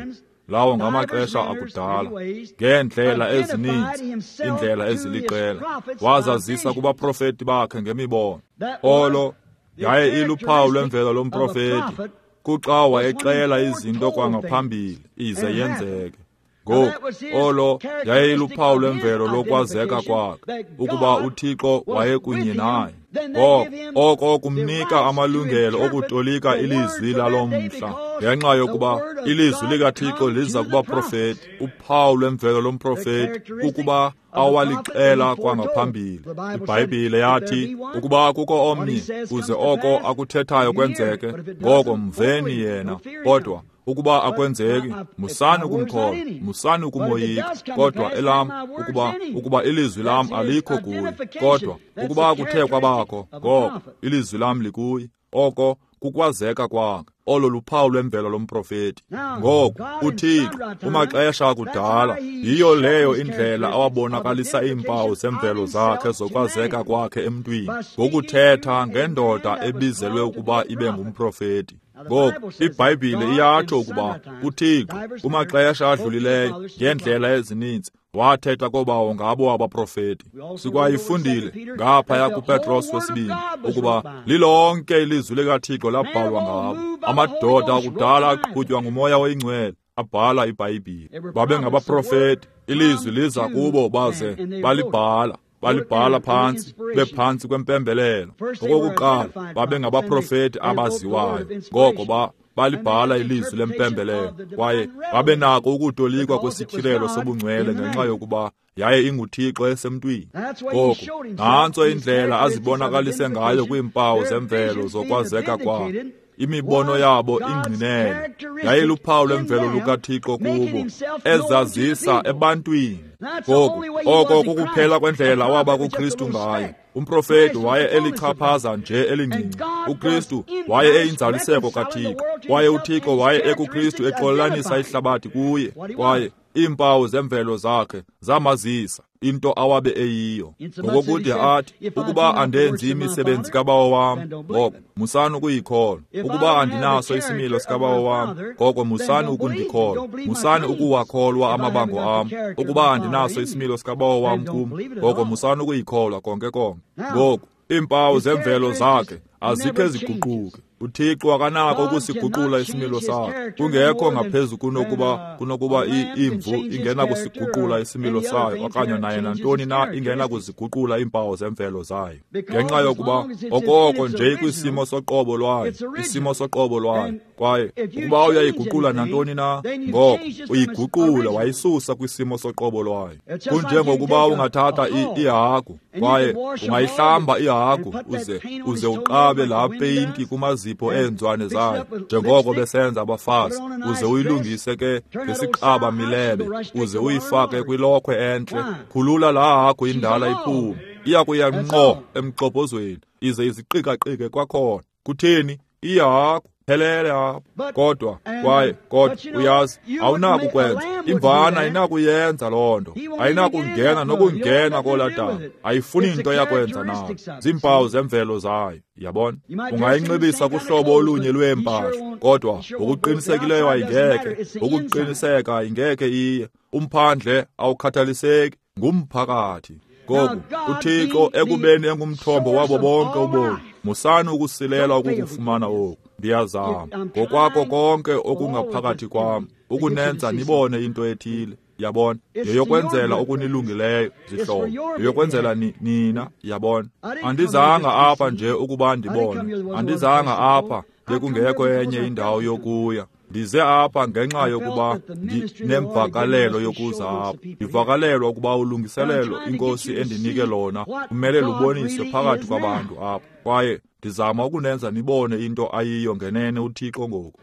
lawo ngamaxesha akudala, ngeendlela ezininzi, iindlela eziliqela, wazazisa kubaprofeti bakhe ngemibono. Olo yaye iluphawu lwemvelo lomprofeti, kuxa wayexela izinto kwangaphambili ize yenzeke. Ngoku olo yaye iluphawu lwemvelo lokwazeka kwakhe, ukuba uThixo wayekunye naye. Ngoko oko kumnika amalungelo okutolika ilizwi lalo mhla, ngenxa yokuba ilizwi likaThixo liza kubaprofeti. Uphawu lwemvelo lomprofeti kukuba awalixela kwangaphambili. IBhayibhile yathi, ukuba kukho omnye kuze oko akuthethayo kwenzeke, ngoko mveni yena. Kodwa ukuba akwenzeki, musani ukumkholwa, musani ukumoyika. Kodwa elam ukuba ukuba ilizwi lam alikho kuye, kodwa ukuba kuthe kwabakho, ngoko ilizwi lam likuye. Oko kukwazeka kwakhe. Olo luphawu lwemvelo lomprofeti. Ngoku uThixo kumaxesha akudala, yiyo leyo indlela awabonakalisa iimpawu zemvelo zakhe zokwazeka kwakhe emntwini, ngokuthetha ngendoda ebizelwe ukuba ibe ngumprofeti. Ngoku iBhayibhile iyatsho ukuba uThixo kumaxesha adlulileyo ngeendlela ezininzi wathetha kobawo ngabo abaprofeti. Sikwayifundile ngaphaya kuPetros wesibini ukuba lilonke ilizwi likaThixo labhalwa ngabo. Amadoda akudala aqhutywa nguMoya oyiNgcwele abhala iBhayibhile. Babengabaprofeti, ilizwi liza kubo baze balibhala. Balibhala phantsi, bephantsi kwempembelelo. Okokuqala babengabaprofeti abaziwayo, ngoko ba balibhala ilizwi lempembelelo, kwaye babenako ukutolikwa kwesityhilelo sobungcwele ngenxa yokuba yaye inguThixo esemntwini. Ngoko nantso indlela azibonakalise ngayo kwiimpawu zemvelo zokwazeka kwakhe. Imibono yabo ingqinele, yayiluphawu lwemvelo lukaThixo kubo, ezazisa ebantwini. Ngoku oko kukuphela kwendlela awaba kuKristu ngayo. Umprofeti waye elichaphaza nje elincinci. uKristu waye eyinzaliseko kaThixo, kwaye uThixo waye ekuKristu exolelanisa ihlabathi kuye, kwaye Iimpawu zemvelo zakhe zamazisa into awabe eyiyo. Ngokokude athi, ukuba andenzi imisebenzi kaBawo wam, ngoko musani ukuyikholwa. Ukuba andinaso isimilo sikaBawo wam, ngoko musani ukundikholwa. Musani ukuwakholwa amabango am. Ukuba andinaso isimilo sikaBawo wam kum, ngoko musani ukuyikholwa konke konke. Ngoku iimpawu zemvelo zakhe azikhe ziguquke. UThixo akanako ukusiguqula isimilo sakhe, kungekho ngaphezu kunokuba kunokuba imvu ingena kusiguqula isimilo sayo, okanye naye nantoni na ingena kuziguqula iimpawu zemvelo zayo, ngenxa yokuba okoko nje kwisimo soqobo lwayo, isimo soqobo lwayo. Kwaye ukuba uyayiguqula nantoni na, ngoko uyiguqula wayisusa kwisimo soqobo lwayo. Kunjengokuba ungathatha ihagu kwaye ungayihlamba ihagu uze uze uqabe laa peyinti kumazipho eenzwane zayo, njengoko besenza abafazi, uze uyilungise ke ngesiqaba milebe, uze uyifake kwilokhwe entle. Khulula laa hagu indala iphume, iya kuya ngqo emgxobhozweni, ize iziqikaqike kwakhona. Kutheni? Ihagu phelele apho. Kodwa kwaye kodwa uyazi, awunakukwenza. Imvana ayinakuyenza loo nto, ayinakungena nokungena kolaa dama, ayifuni nto yakwenza nayo. Ziimpawu zemvelo zayo, yabona. Ungayinxibisa kuhlobo olunye lweempahla, kodwa ngokuqinisekileyo ayingeke, ngokuqiniseka ayingeke iye. Umphandle awukhathaliseki, ngumphakathi. Ngoku uThixo ekubeni engumthombo wabo bonke ubomi, musani ukusilela ukukufumana oku. Ndiyazama ngokwakho konke okungaphakathi kwam ukunenza nibone into ethile, yabona. Yeyokwenzela okunilungileyo, zihlobo, yeyokwenzela ni, nina, yabona. Andizanga apha nje ukuba ndibone, andizanga apha bekungekho enye indawo yokuya. Ndize apha ngenxa yokuba ndinemvakalelo yokuza apha. Ndivakalelwa ukuba ulungiselelo iNkosi endinike lona kumele luboniswe phakathi kwabantu apha. Kwaye ndizama ukunenza nibone into ayiyo ngenene uThixo ngoku.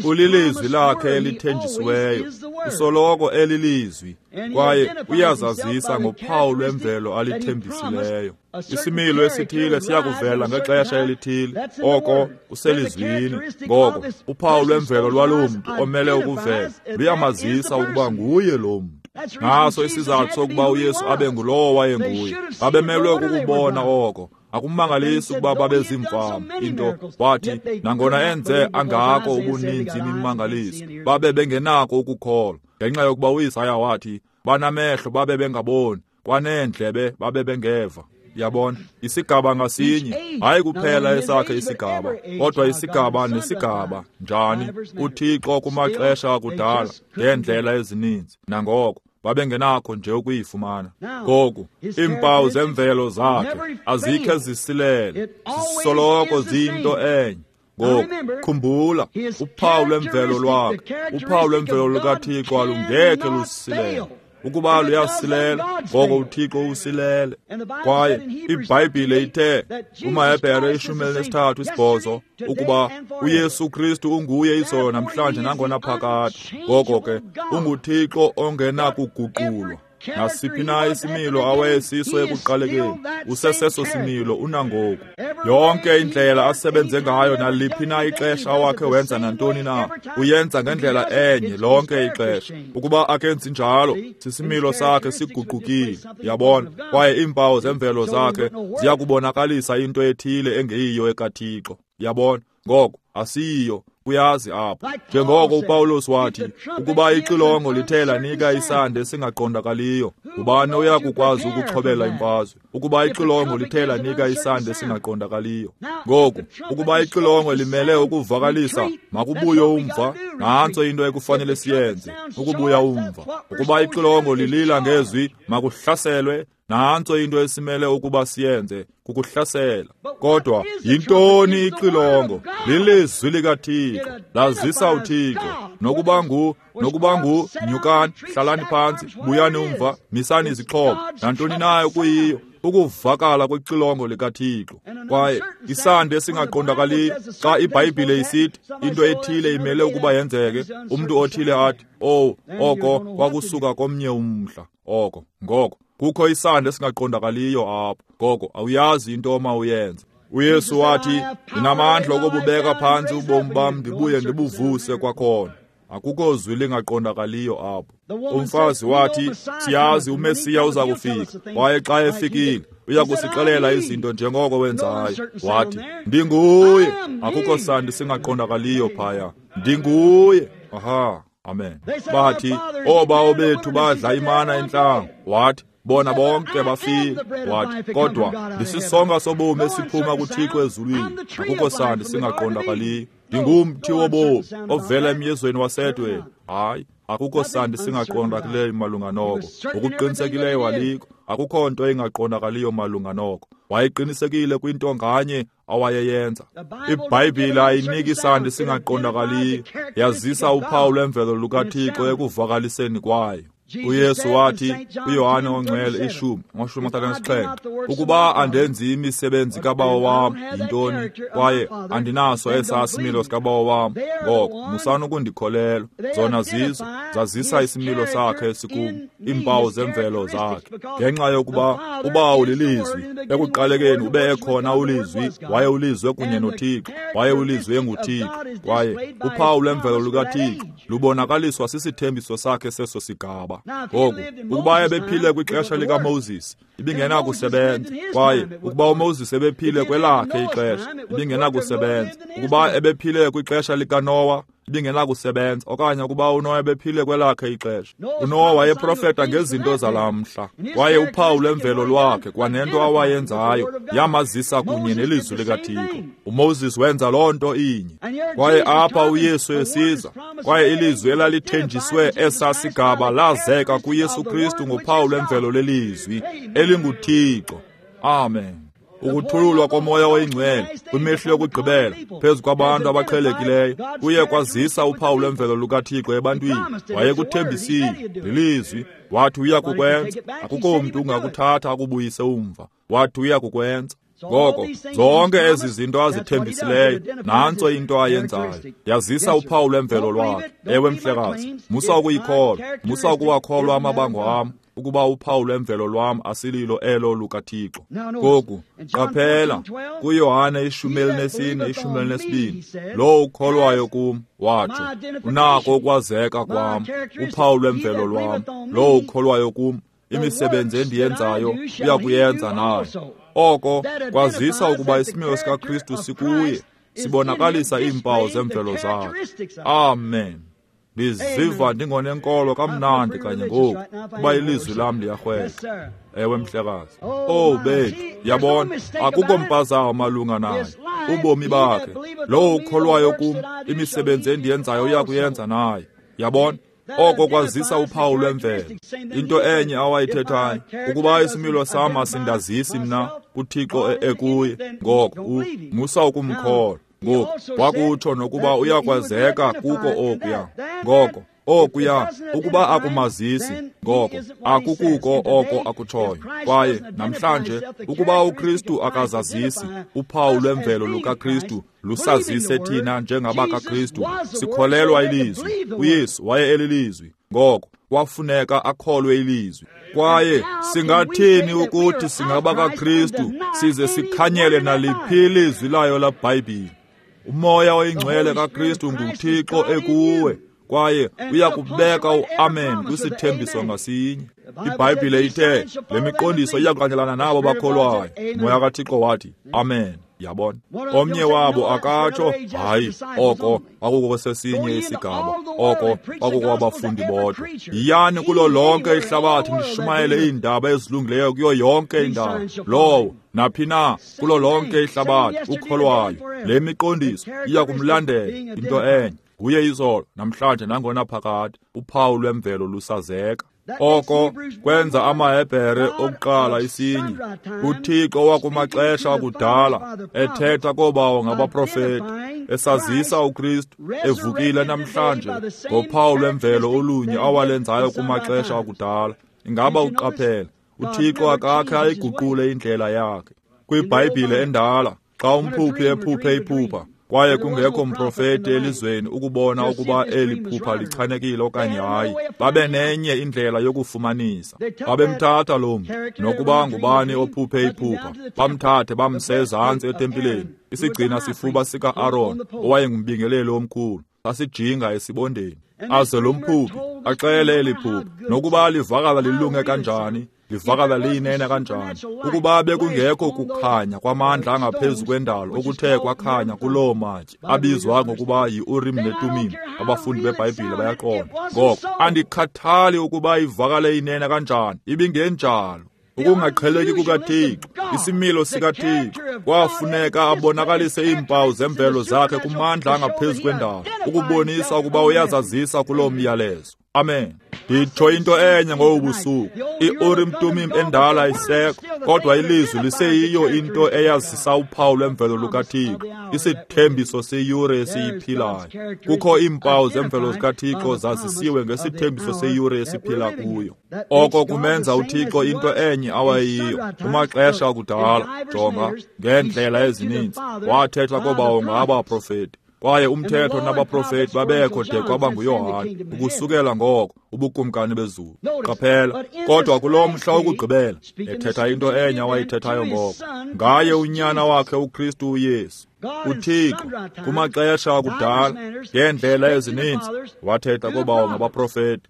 Ulilizwi lakhe elithenjisiweyo, usoloko elilizwi, kwaye uyazazisa ngophawu lwemvelo alithembisileyo. Isimilo esithile siyakuvela ngexesha elithile, oko kuselizwini. Ngoko uphawu lwemvelo lwaloo mntu omele ukuvela luyamazisa ukuba nguye lo mntu. Naso isizathu sokuba uYesu abe ngulowo wayenguye. Babemelwe kukubona oko. Akumangalisi ukuba babezimfama into. Wathi nangona enze angako ubuninzi imimangaliso, babe bengenako ukukholwa, ngenxa yokuba uIsaya wathi banamehlo babe bengaboni, kwaneendlebe babe bengeva. Yabona, isigaba ngasinye, hayi kuphela esakhe isigaba, kodwa isigaba nesigaba. Njani? UThixo kumaxesha akudala ngeendlela ezininzi, nangoko babengenakho nje ukuyifumana. Ngoku iimpawu zemvelo zakhe azikhe zisilele, zisoloko ziyinto enye. Ngoku khumbula, uphawu lwemvelo lwakhe, uphawu lwemvelo lukaThixo alungekhe lusilele. Ukuba luyasilela, ngoko uThixo usilele. Kwaye iBhayibhile ithe kumaHebhere ishumi elinesithathu isibhozo ukuba uYesu Kristu unguye izolo namhlanje nangona phakade. Ngoko ke unguThixo ongenakuguqulwa. Nasiphi na isimilo awayesiso ekuqalekeni, useseso similo unangoku. Yonke indlela asebenze ngayo naliphi na ixesha awakhe wenza nantoni na, uyenza ngendlela enye lonke ixesha. Ukuba akenzi njalo, sisimilo sakhe siguqukile, yabona. Kwaye iimpawu zemvelo zakhe ziyakubonakalisa into ethile engeyiyo ekaThixo, yabona. Ngoko asiyiyo, uyazi apho. Njengoko uPawulos wathi, ukuba ixilongo lithe lanika isandi esingaqondakaliyo, ngubani oya kukwazi ukuxhobela imfazwe? Ukuba ixilongo lithe lanika isandi esingaqondakaliyo. Ngoku, ukuba ixilongo limele ukuvakalisa makubuye umva, nantso into ekufanele siyenze, ukubuya umva. Ukuba ixilongo lilila ngezwi makuhlaselwe, nantso into esimele ukuba siyenze, kukuhlasela. Kodwa yintoni ixilongo? Lilizwi likaThixo, lazisa uThixo. Nokuba ngu nokuba ngu nyukani, hlalani phantsi, buyani umva, misani izixhobo, nantoni nayo kuyiyo, ukuvakala kwexilongo likaThixo. Kwaye isandi esingaqondakaliyo, xa iBhayibhile isithi into ethile imele ukuba yenzeke, umntu othile athi, oh, oko kwakusuka komnye umhla, oko ngoko kukho isandi esingaqondakaliyo apho. Ngoko awuyazi into oma uyenze. uYesu wathi, ndinamandla okububeka phantsi ubomi bam ndibuye ndibuvuse kwakhona. Akukho zwi lingaqondakaliyo apho. Umfazi wathi, siyazi uMesiya uza kufika, kwaye xa efikile uya kusixelela izinto njengoko wenzayo. Wathi, ndinguye. Akukho sandi singaqondakaliyo phaya. Ndinguye. Aha, amen. Bathi, oobawo bethu badla imana entlango. Wathi, bona bonke bafile. Wathi, kodwa ndisisonka sobomi esiphuma kuThixo ezulwini. Akukho sandi singaqondakaliyo. Ndingumthi wobomi ovela emyezweni wasedweni. Hayi, akukho sandi singaqondakaliyo malunga noko. Ngokuqinisekileyo alikho. Akukho nto ingaqondakaliyo malunga noko. Wayeqinisekile kwinto nganye awayeyenza. IBhayibhile ayiniki sandi singaqondakaliyo, yazisa uphawu lwemvelo lukaThixo ekuvakaliseni kwayo. UYesu wathi kuYohane oNgcwele ishumi amashumi amathathu anesixhenxe, ukuba andenzi imisebenzi kaBawo wam yintoni, kwaye andinaso esaa similo sikaBawo wam, ngoko musani ukundikholelwa. Zona zizo zazisa isimilo sakhe esikum, iimpawu zemvelo zakhe. Ngenxa yokuba uBawo lilizwi, ekuqalekeni ube ekhona ulizwi, waye ulizwe kunye noThixo, waye ulizwe enguThixo, kwaye uphawu lwemvelo lukaThixo lubonakaliswa sisithembiso sakhe seso sigaba. Ngoku, ukuba ebephile kwixesha likaMoses, ibingenakusebenza. Kwaye ukuba uMoses ebephile kwelakhe ixesha, ibingenakusebenza. Ukuba ebephile kwixesha likaNowa, ibingenakusebenza. Okanye ukuba uNowa ebephile kwelakhe ixesha. UNowa wayeprofeta ngezinto zalamhla, kwaye uphawu lwemvelo lwakhe kwanento awayenzayo yamazisa kunye nelizwi likaThixo. uMoses wenza loo nto inye. Kwaye apha uYesu esiza, kwaye ilizwi elalithenjiswe esaa sigaba lazeka kuYesu Kristu ngophawu lwemvelo lelizwi elinguThixo. Amen. Ukuthululwa koMoya oyiNgcwele kwimihla yokugqibela phezu kwabantu abaqhelekileyo kuye kwazisa uphawu lwemvelo lukaThixo ebantwini. Wayekuthembisile lilizwi, wathi uya kukwenza. Akukho mntu ungakuthatha akubuyise umva. Wathi uya kukwenza. Ngoko zonke ezi zinto azithembisileyo, nantso into ayenzayo, yazisa uphawu lwemvelo lwakhe. Ewe mhlekazi, musa ukuyikholwa, musa ukuwakholwa amabango am, ukuba uphawu lwemvelo lwam asililo elo lukaThixo. Ngoku qaphela kuYohane ishumi elinesine ishumi elinesibini, lowo ukholwayo kum, watsho, unako ukwazeka kwam, uphawu lwemvelo lwam. Lowo ukholwayo kum, imisebenzi endiyenzayo uya kuyenza nayo. Oko kwazisa ukuba isimilo sikaKristu sikuye, sibonakalisa iimpawu zemvelo zakhe. Amen. Ndiziva ndingonenkolo kamnandi kanye ngoku, kuba ilizwi lam liyarhweka. Ewe mhlekazi. Oh bethu, yabona, akukho mpazamo malunga naye. Ubomi bakhe, lowo ukholwayo kum, imisebenzi endiyenzayo uya kuyenza naye. Yabona, oko kwazisa uphawu lwemvelo. Into enye awayithethayo, ukuba isimilo sam asindazisi mna uThixo ekuye, ngoko musa ukumkholwa. Ngoku wakutsho nokuba uyakwazeka kuko okuya. Ngoko okuya, ukuba akumazisi, ngoko akukuko oko akutshoyo. Kwaye namhlanje, ukuba uKristu akazazisi, uphawu lwemvelo lukaKristu lusazise thina njengabakaKristu, sikholelwa ilizwi. uYesu waye elilizwi, ngoko kwafuneka akholwe ilizwi. Kwaye singathini ukuthi singabakaKristu size sikhanyele naliphi ilizwi layo laBhayibhile? UMoya oyiNgcwele kaKristu nguThixo ekuwe, kwaye uyakubeka uamen kwisithembiso ngasinye. IBhayibhile ithe le miqondiso iyakulandelana nabo bakholwayo. Umoya kaThixo wathi amen. Yabona, omnye wabo akatsho, hayi, oko akukosesinye isigaba, oko akukwabafundi bodwa. Yiyani kulo lonke ihlabathi nishumayele iindaba ezilungileyo kuyo yonke indawo. Lowo naphi na kulo lonke ihlabathi ukholwayo, le miqondiso iya kumlandela. Into enye nguye izolo, namhlanje, nangona phakade. Uphawu lwemvelo lusazeka. Oko kwenza amaHebhere okuqala isinye. UThixo wakumaxesha akudala ethetha koobawo ngabaprofeti, esazisa uKristu evukile namhlanje ngophawu lwemvelo olunye awalenzayo kumaxesha akudala. Ingaba uqaphela, uThixo akakhe ayiguqule indlela yakhe. KwiBhayibhile endala, xa umphuphi ephuphe iphupha, kwaye kungekho mprofeti elizweni ukubona ukuba eli phupha lichanekile okanye hayi, babe nenye indlela yokufumanisa. Babemthatha lo mntu, nokuba ngubani ophuphe iphupha, bamthathe bamse ezantsi etempileni, isigcina sifuba sika-Aron owayengumbingeleli omkhulu. Sasijinga esibondeni. Aze lo mphuphi axele eli phupha, nokuba livakala lilunge kanjani, livakala liyinene kanjani, ukuba bekungekho kukhanya kwamandla angaphezu kwendalo okuthe kwakhanya kuloo matye abizwa ngokuba yi-Urim neTumim. Abafundi beBhayibhile bayaqonda. Ngoko andikhathali ukuba ivakale inene kanjani, ibingenjalo. Ukungaqheleki kukaThixo, isimilo sikaThixo, kwafuneka abonakalise iimpawu zemvelo zakhe kumandla angaphezu kwendalo, ukubonisa ukuba uyazazisa kuloo myalezo. Amen. Nditsho into enye ngobu busuku. I-Urim Tumim endala isekho, kodwa ilizwi liseyiyo into eyazisa uphawu lwemvelo lukaThixo, isithembiso seyure esiyiphilayo. Kukho iimpawu zemvelo zikaThixo zazisiwe ngesithembiso seyure esiphila kuyo. Oko kumenza uThixo into enye awayiyo kumaxesha akudala. Jonga, ngeendlela ezininzi wathetha kobawo ngabaprofeti, kwaye umthetho nabaprofeti babekho de kwaba nguYohane, ukusukela ngoko ubukumkani bezulu. Qaphela, kodwa kulo mhla wokugqibela ethetha into enye awayithethayo ngoko, ngaye unyana wakhe uKristu uYesu. UThixo kumaxesha akudala ngeendlela ezininzi wathetha kobawo ngabaprofeti.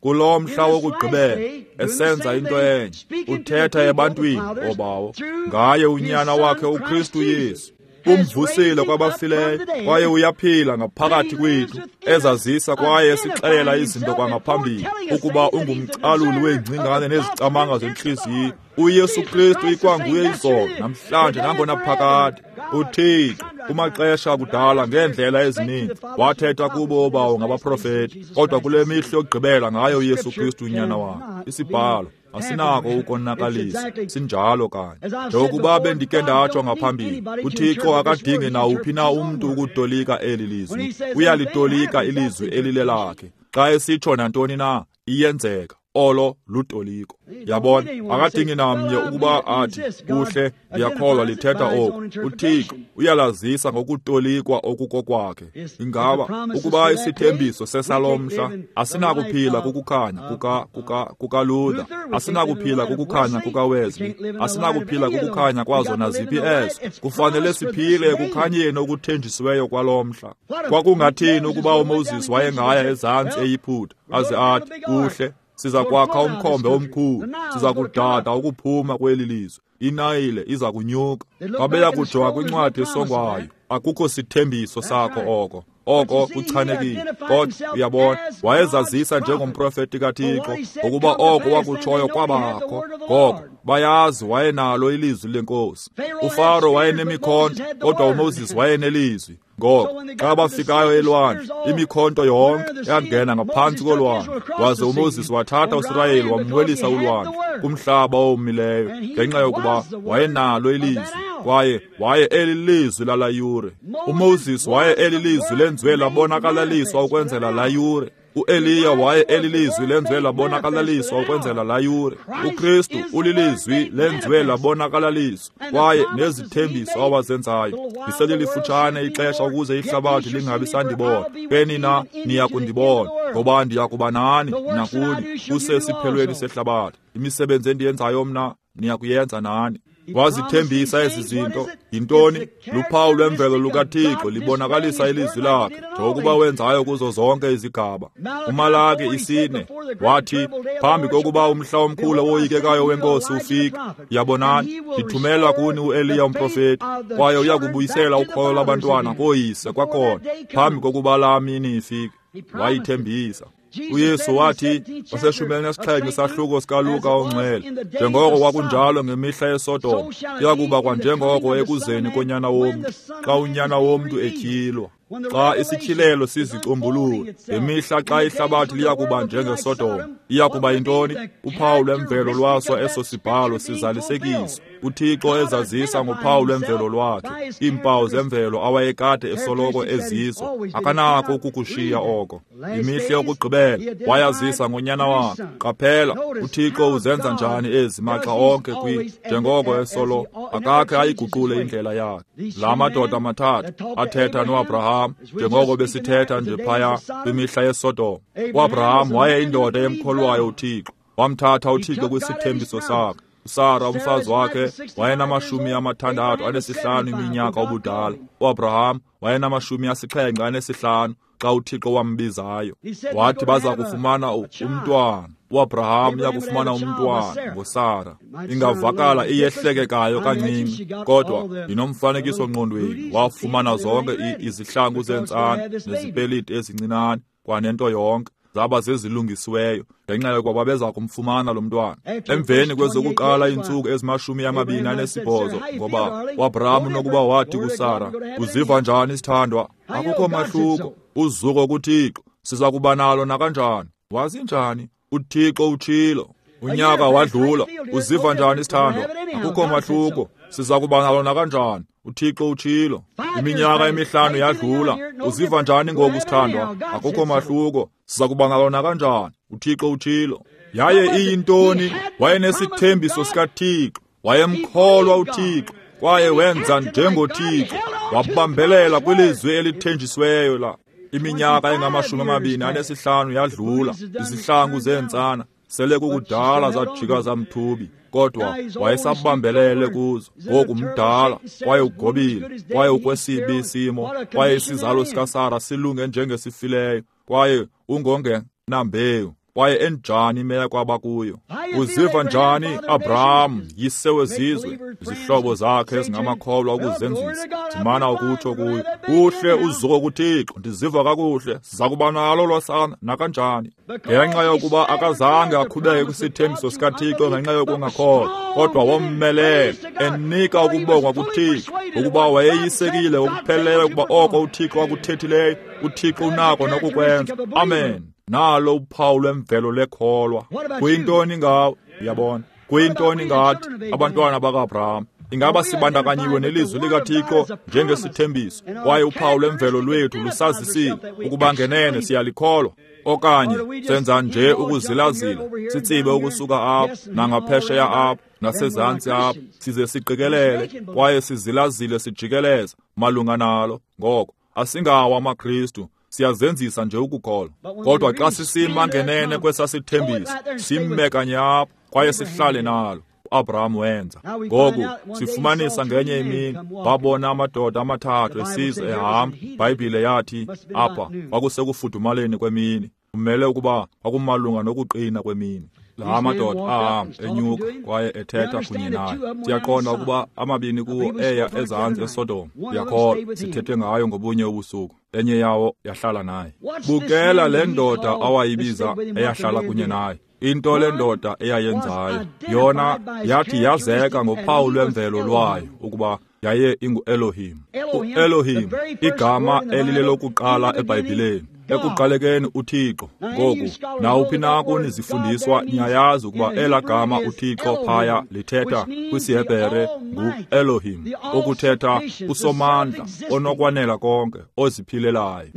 Kulo mhla wokugqibela esenza into enye, uthetha ebantwini obawo ngaye unyana wakhe uKristu Yesu. Umvusile kwabafileyo, kwaye uyaphila ngaphakathi kwethu, ezazisa kwaye esixelela izinto kwangaphambili, ukuba ungumcaluli weengcingane nezicamanga zentliziyo. uYesu Kristu ikwanguye izolo, namhlanje, nangonaphakade. UThixo kumaxesha akudala ngeendlela ezininzi wathetha kubo obawo ngabaprofeti, kodwa kule mihla yokugqibela ngaye uYesu Kristu unyana wakhe. Isibhalo asinako ukonakalisa, sinjalo kanye. Njengokuba bendike ndatsho ngaphambili, uThixo akadingi nawuphi na umntu ukutolika eli lizwi. Uyalitolika ilizwi elilelakhe. Xa esitsho nantoni na, iyenzeka. Olo lutoliko. Yabona, akadingi namnye ukuba athi, kuhle, ndiyakholwa lithetha oku. UThixo uyalazisa ngokutolikwa okukokwakhe. Ingaba ukuba isithembiso sesalomhla, asinakuphila kukukhanya kuka kuka kukaLuther, asinakuphila kukukhanya kukaWesley, asinakuphila kukukhanya kwazo naziphi ezo. Kufanele siphile ekukhanyeni okuthenjisiweyo kwalomhla. Kwakungathini ukuba uMoses wayengaya ezantsi eYiputa aze athi, kuhle, siza kwakha umkhombe omkhulu, siza kudada ukuphuma kweli lizwe, iNayile iza kunyuka. Babeya kujonga kwincwadi esongwayo, akukho sithembiso sakho oko. Oko kuchanekile. Kodwa uyabona, wayezazisa njengomprofeti kaThixo, ngokuba oko wakutshoyo kwabakho. Ngoko bayazi wayenalo ilizwi lenkosi. UFaro wayenemikhonto, kodwa uMoses wayenelizwi. Ngoko xa bafikayo elwandle, imikhonto yonke yangena ngaphantsi kolwandle, waze uMoses wathatha uSirayeli wamwelisa ulwandle kumhlaba owomileyo, ngenxa yokuba wayenalo ilizwi, kwaye waye elilizwi lala yure. uMoses waye elilizwi lenziwe labonakalaliswa ukwenzela la yure. uEliya waye elilizwi lenziwe labonakalaliswa ukwenzela la yure. uKristu ulilizwi lenziwe labonakalaliswa, kwaye nezithembiso awazenzayo. Liselilifutshane ixesha ukuze ihlabathi lingabi sandibona. Ke nina niya kundibona, ngoba ndiya kuba nani nakuni kusesiphelweni sehlabathi. Imisebenzi endiyenzayo mna niya kuyenza nani. Wazithembisa ezi zinto. Yintoni? Luphawu lwemvelo lukaThixo libonakalisa ilizwi lakhe, njengokuba wenzayo kuzo zonke izigaba. UMalaki isine wathi, phambi kokuba umhla omkhulu owoyikekayo wenkosi ufike, yabonani, ndithumela kuni uEliya umprofeti, kwaye uya kubuyisela ukholo lwabantwana kooyise kwakhona, phambi kokuba laa mini ifike. Wayithembisa. uYesu wathi waseshumini nesixhenxe isahluko sikaLuka ongcwele, njengoko kwakunjalo ngemihla yeSodoma, kuya kuba kwanjengoko ekuzeni konyana womntu, xa unyana womntu etyhilwa. Xa isityhilelo sizicombulula, ngemihla xa ihlabathi liya kuba njengeSodoma, iya kuba yintoni? Uphawu lwemvelo lwaso eso sibhalo sizalisekiswa. uThixo ezazisa ngophawu lwemvelo lwakhe, iimpawu zemvelo awayekade esoloko ezizo, akanako ukukushiya oko. Imihla yokugqibela wayazisa ngonyana wakhe. Qaphela, uThixo uzenza njani ezi maxa onke kwi njengoko esolo, akakhe ayiguqule indlela yakhe. La madoda mathathu athetha noAbraham, njengoko besithetha nje phaya kwimihla yeSodoma. uAbraham wayeyindoda emkholwayo uThixo, wamthatha uThixo kwisithembiso sakhe. uSara umfazi wakhe wayenamashumi amathandathu anesihlanu iminyaka ubudala. uAbraham wayenamashumi asixhenxe anesihlanu xa uThixo wambizayo. Wathi baza kufumana umntwana. uAbraham uyakufumana umntwana ngoSara. Ingavakala iyehlekekayo kancinci, kodwa ndinomfanekiso ngqondweni. Wafumana zonke izihlangu zentsana nezipeliti ezincinane kwanento yonke, zaba zezilungisiweyo ngenxa yokuba babeza kumfumana lo mntwana. Emveni kwezokuqala iintsuku ezimashumi amabini anesibhozo, ngoba uAbraham unokuba wathi kuSara, uziva njani sithandwa? Akukho mahluko, uzuko kuThixo, siza kuba nalo nakanjani. Wazi njani? uThixo utshilo. Unyaka wadlula, uziva njani sithandwa? Akukho mahluko, siza kuba nalo nakanjani. uThixo utshilo. Iminyaka emihlanu yadlula, uziva njani ngoku sithandwa? Akukho mahluko, siza kuba nalo nakanjani. uThixo utshilo. Yaye iyintoni? Wayenesithembiso sikaThixo, wayemkholwa uThixo, kwaye wenza njengoThixo, wabambelela kwilizwi elithenjisiweyo la. Iminyaka engamashumi amabini anesihlanu yadlula, izihlangu zeentsana sele kukudala zajika zamthubi, kodwa wayesabambelele kuzo. Ngoku mdala, kwaye ugobile, kwaye ukwesibi isimo, kwaye isizalo sikaSara silunge njengesifileyo, kwaye ungongenambewu, kwaye enjani imeko abakuyo. Uziva njani Abraham, yise wezizwe? Izihlobo zakhe ezingamakholwa ukuzenzisa zimana ukutsho kuyo, kuhle uzuko kuThixo, ndiziva kakuhle, siza kuba nalo lwasana nakanjani. Ngenxa yokuba akazange aqhubeke kwisithembiso sikaThixo ngenxa yokungakholwa, kodwa wommelela enika ukubongwa kuThixo, ukuba wayeyisekile ngokupheleleyo ukuba oko uThixo akuthethileyo, uThixo unako nokukwenza. Amen. Nalo uphawu lwemvelo lekholwa. Kuyintoni ngawe? Uyabona, kuyintoni ngathi abantwana bakaAbraham? Ingaba sibandakanyiwe nelizwi likaThixo njengesithembiso, kwaye uphawu lwemvelo lwethu lusazisile ukuba ngenene siyalikholwa? Okanye senza nje ukuzilazila, sitsibe ukusuka apha nangaphesheya apha nasezantsi apha, size siqikelele kwaye sizilazile sijikeleza malunga nalo? Ngoko asingawo amaKristu, siyazenzisa nje ukukholwa. Kodwa xa sisima ngenene kwesasithembiso, simme kanye apho kwaye sihlale nalo. uAbraham wenza. Ngoku sifumanisa ngenye imini babona amadoda amathathu esiza ehamba. IBhayibhile yathi apha kwakusekufudumaleni kwemini, kumele ukuba kwakumalunga nokuqina kwemini. La madoda ahamba enyuka kwaye ethetha kunye naye. Siyaqonda ukuba amabini kuwo eya ezantsi eSodom. Ndiyakholwa sithethe ngayo ngobunye ubusuku. Enye yawo yahlala naye. Bukela le ndoda awayibiza eyahlala kunye naye. Into le ndoda eyayenzayo, yona yathi yazeka ngophawu lwemvelo lwayo ukuba yaye ingu-Elohim. U-Elohim, igama elilelokuqala eBhayibhileni. Ekuqalekeni uThixo. Ngoku nawuphi na kuni zifundiswa niyayazi ukuba elaa gama uThixo phaya lithetha kwisiHebhere ngu-Elohim, okuthetha usomandla, onokwanela konke, oziphilelayo.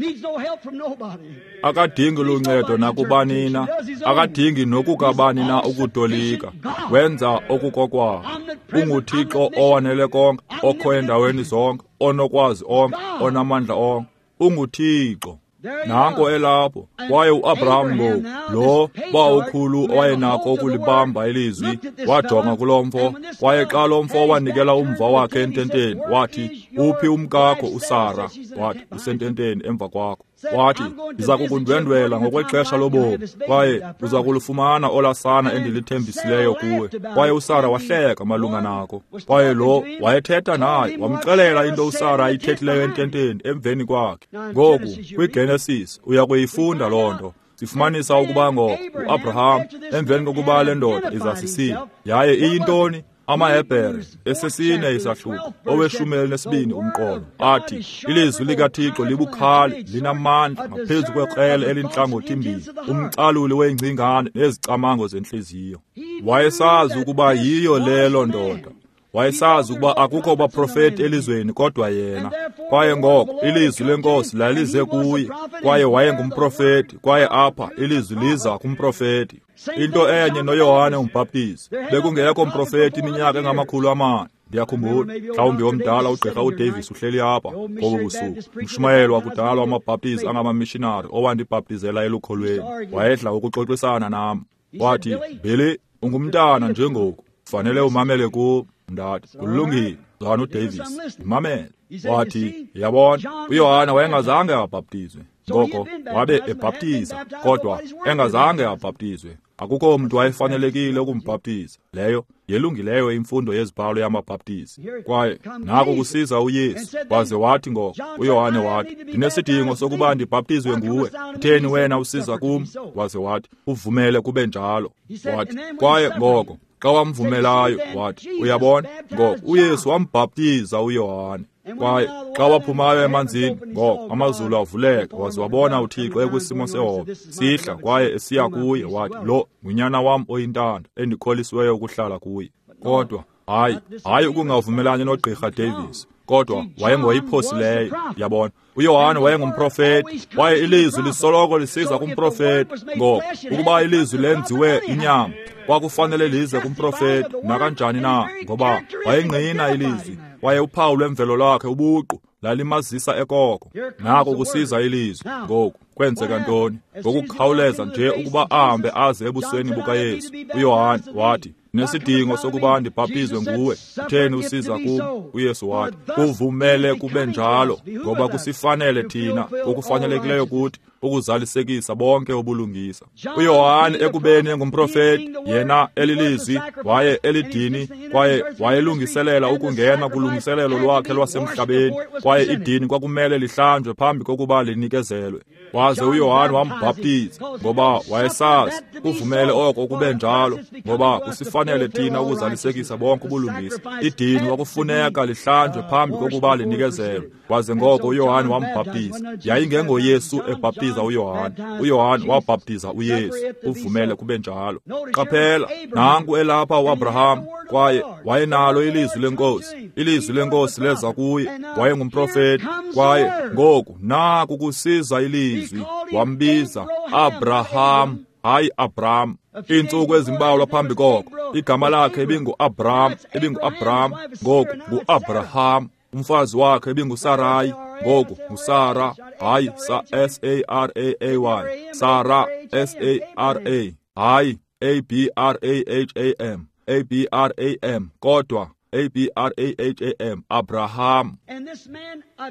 Akadingi luncedo nakubani na, akadingi nokukabani na ukutolika. Wenza okukokwakhe. UnguThixo owanele konke, okho endaweni zonke, onokwazi onke, onamandla onke. UnguThixo. Nanko elapho. Kwaye uAbraham ngoku, lo bawukhulu owayenako ukulibamba ilizwi, wajonga kulo mfo, kwaye xa lo mfo wanikela umva wakhe ententeni, wathi, uphi umkakho uSara? Wathi, usententeni emva kwakho. Wathi, ndiza kukundwendwela ngokwexesha lobomi, kwaye uza kulufumana olasana endilithembisileyo kuwe. Kwaye uSara wahleka malunga nako. Kwaye lo wayethetha naye, wamxelela into uSara ayithethileyo ententeni emveni kwakhe. Ngoku kwiGenesis uya kuyifunda loo nto. Sifumanisa ukuba ngoko uAbraham emveni kokuba le ndoda izasisile, yaye iyintoni? AmaHebhere esesine isahluko oweshumi elinesibini umqolo athi ilizwi likaThixo libukhali, linamandla ngaphezu kwekrele elintlangothi-mbini, umcaluli weengcingane nezicamango zentliziyo. Wayesazi ukuba yiyo lelo ndoda. Wayesazi ukuba akukho baprofeti elizweni kodwa yena. Kwaye ngoko ilizwi lenkosi lalize kuye, kwaye wayengumprofeti, kwaye apha ilizwi liza kumprofeti. Into enye noYohane umbhaptizi, bekungekho mprofeti iminyaka engamakhulu amane. Ndiyakhumbula mhlawumbi omdala ugqirha uDavis uhleli apha ngobu busuku, umshumayeli wakudala wamabhaptizi angamamishinari owandibhaptizela elukholweni. Wayedla ukuxoxisana nam. Wathi, Billy, ungumntana njengoku, fanele umamele kum. Ndathi, kulungile, Mzalwana uDavis, ndimamele. Wathi, yabona, uYohane wayengazange abhaptizwe. Ngoko wabe ebhaptiza, kodwa engazange abhaptizwe. Akukho mntu wayefanelekile ukumbhaptiza. Leyo yelungileyo imfundo yezibhalo yamabhaptizi. Kwaye nako kusiza uYesu, waze wathi ngoko uYohane wathi, ndinesidingo sokuba ndibhaptizwe nguwe, kutheni wena usiza kum? Waze wathi, uvumele kube njalo. Wathi, kwaye ngoko xa wamvumelayo, wathi, uyabona, ngoko uYesu wambhaptiza uYohane. Kwaye xa waphumayo emanzini, ngoko amazulu avuleka, waze wabona uThixo ekwisimo sehobe sihla kwaye esiya kuye. Wathi, lo ngunyana wam oyintanda endikholisiweyo ukuhlala kuye. Kodwa hayi, hayi ukungavumelani noGqirha Davis, kodwa wayengoyiphosileyo. Yabona, uYohane wayengumprofeti, kwaye ilizwi lisoloko lisiza kumprofeti. Ngoko ukuba ilizwi lenziwe inyama, kwakufanele lize kumprofeti nakanjani na, ngoba wayengqina ilizwi, kwaye uphawu lwemvelo lwakhe ubuqu lalimazisa ekoko. Nako kusiza ilizwi. Ngoku kwenzeka ntoni? Ngokukhawuleza nje ukuba ahambe aze ebusweni bukaYesu, uYohane wathi, nesidingo sokuba ndibhaptizwe nguwe, kutheni usiza kum? uYesu wathi, kuvumele kube njalo, ngoba kusifanele thina okufanelekileyo kuthi ukuzalisekisa bonke ubulungisa. uYohane ekubeni engumprofeti, yena elilizwi, waye elidini, kwaye wayelungiselela ukungena kulungiselelo lwakhe lwasemhlabeni, kwaye idini kwakumele lihlanjwe phambi kokuba linikezelwe. Waze uYohane wambhaptiza, ngoba wayesazi kuvumele oko kube njalo, ngoba kusifanele thina ukuzalisekisa bonke ubulungisa. Idini kwakufuneka lihlanjwe phambi kokuba linikezelwe. Waze ngoko uYohane wambhaptiza. YayingengoYesu ebhaptiza uYohane, uYohane wabhaptiza uYesu. Uvumele kube njalo. Qaphela, nanku elapha uAbraham, kwaye wayenalo ilizwi lenkosi. Ilizwi lenkosi leza kuye, wayengumprofeti, kwaye ngoku naku kusiza ilizwi. Wambiza Abraham, hayi Abraham. Iintsuku ezimbalwa phambi koko, igama lakhe ibingu-Abraham, ibingu-Abraham, ngoku ngu-Abraham. Umfazi wakhe ibinguSarayi, ngoku nguSara, hayi S A R A A Y, Sara, S A R A, hayi A B R A H A M, A B R A M, kodwa A B R A H A M, Abraham.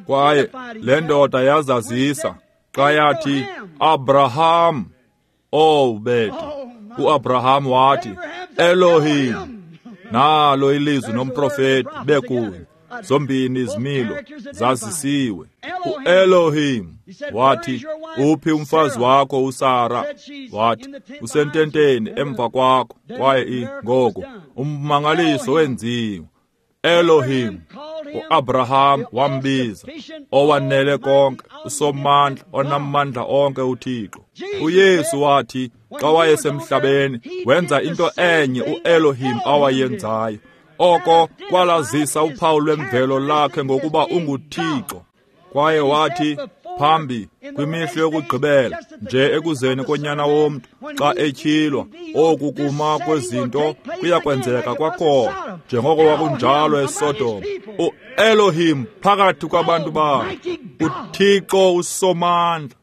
Kwaye le ndoda yazazisa xa yathi Abraham. Oh bethu, uAbraham wathi Elohim. Nalo ilizwi nomprofeti bekunye, zombini izimilo zazisiwe. uElohim wathi, uphi umfazi wakho uSara? Wathi, usententeni emva kwakho. Kwaye ngoku ummangaliso wenziwe. Elohim, uAbraham wambiza, owanele konke, usomandla, onamandla onke uThixo. uYesu wathi xa wayesemhlabeni wenza into enye uElohim awayenzayo. Oko kwalazisa uphawu lwemvelo lakhe ngokuba unguThixo. Kwaye wathi phambi kwimihla yokugqibela nje ekuzeni konyana womntu, xa etyhilwa, oku kuma kwezinto kuyakwenzeka kwakhona njengoko kwakunjalo eSodom. uElohim phakathi kwabantu bakhe, uThixo usomandla.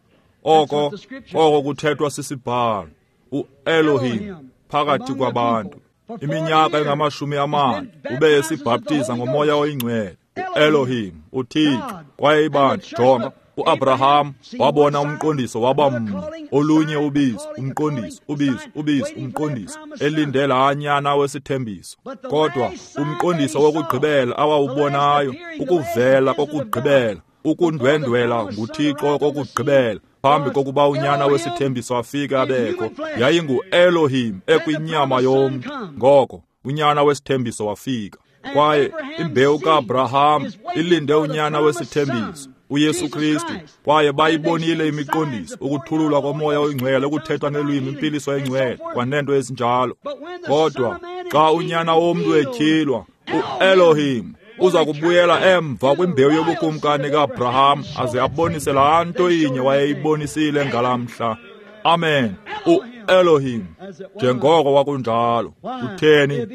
Oko oko kuthethwa sisibhalo, uElohim phakathi kwabantu. Iminyaka engamashumi amane ube esibhaptiza ngomoya oyingcwele, uElohim, uThixo. Kwaye ibandla, jonga, uAbraham wabona umqondiso waba mnye, olunye ubizo, umqondiso, ubizo, ubizo, umqondiso, elinde laa nyana wesithembiso. Kodwa umqondiso wokugqibela awawubonayo, ukuvela kokugqibela, ukundwendwela nguThixo kokugqibela, phambi kokuba unyana wesithembiso afike abekho, yayinguElohim ekwinyama yomntu. Ngoko unyana wesithembiso wafika. Kwaye imbewu kaAbraham ilinde unyana wesithembiso, uYesu Kristu. Kwaye bayibonile imiqondiso, ukuthululwa komoya oyingcwele, ukuthethwa ngelwimi, impiliso engcwele, kwanento ezinjalo. Kodwa xa unyana womntu etyhilwa, uElohim uza kubuyela emva kwimbewu yobukumkani kaAbraham aze abonise laa nto inye wayeyibonisile ngalaa mhla. Amen. uElohim, njengoko kwakunjalo. Kutheni?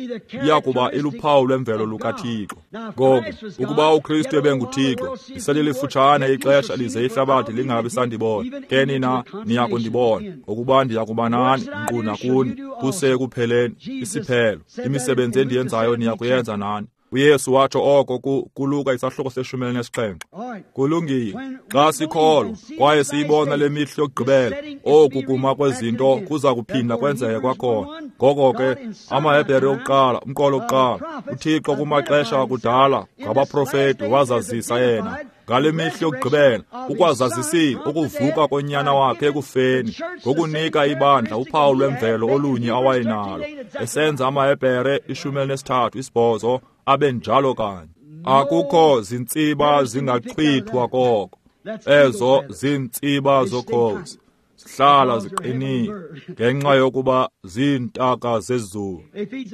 Iyakuba iluphawu lwemvelo lukaThixo. Ngoku, ukuba uKristu ebenguThixo, liselilifutshane ixesha lize ihlabathi lingabi sandibona. Ke nina niya kundibona, ngokuba ndiya kuba nani, nkqu nakuni, kuse ekupheleni, isiphelo. Imisebenzi endiyenzayo niya kuyenza nani. UYesu watsho oko kuLuka isahluko seshumi elinesixhenxe. Kulungile, xa sikholwa kwaye siyibona le mihla yokugqibela, oku kuma kwezinto kuza kuphinda kwenzeke kwakhona. Ngoko ke amaHebhere yokuqala, umqolo wokuqala, uThixo kumaxesha akudala ngabaprofeti wazazisa yena. Ngale mihla yokugqibela ukwazazisile ukuvuka konyana wakhe ekufeni ngokunika ibandla uphawu lwemvelo olunye awayenalo, esenza amaHebhere ishumi elinesithathu isibhozo abe njalo kanye. Akukho zintsiba zingachithwa koko, ezo ziintsiba zokhozi zihlala ziqinile ngenxa yokuba ziintaka zezulu,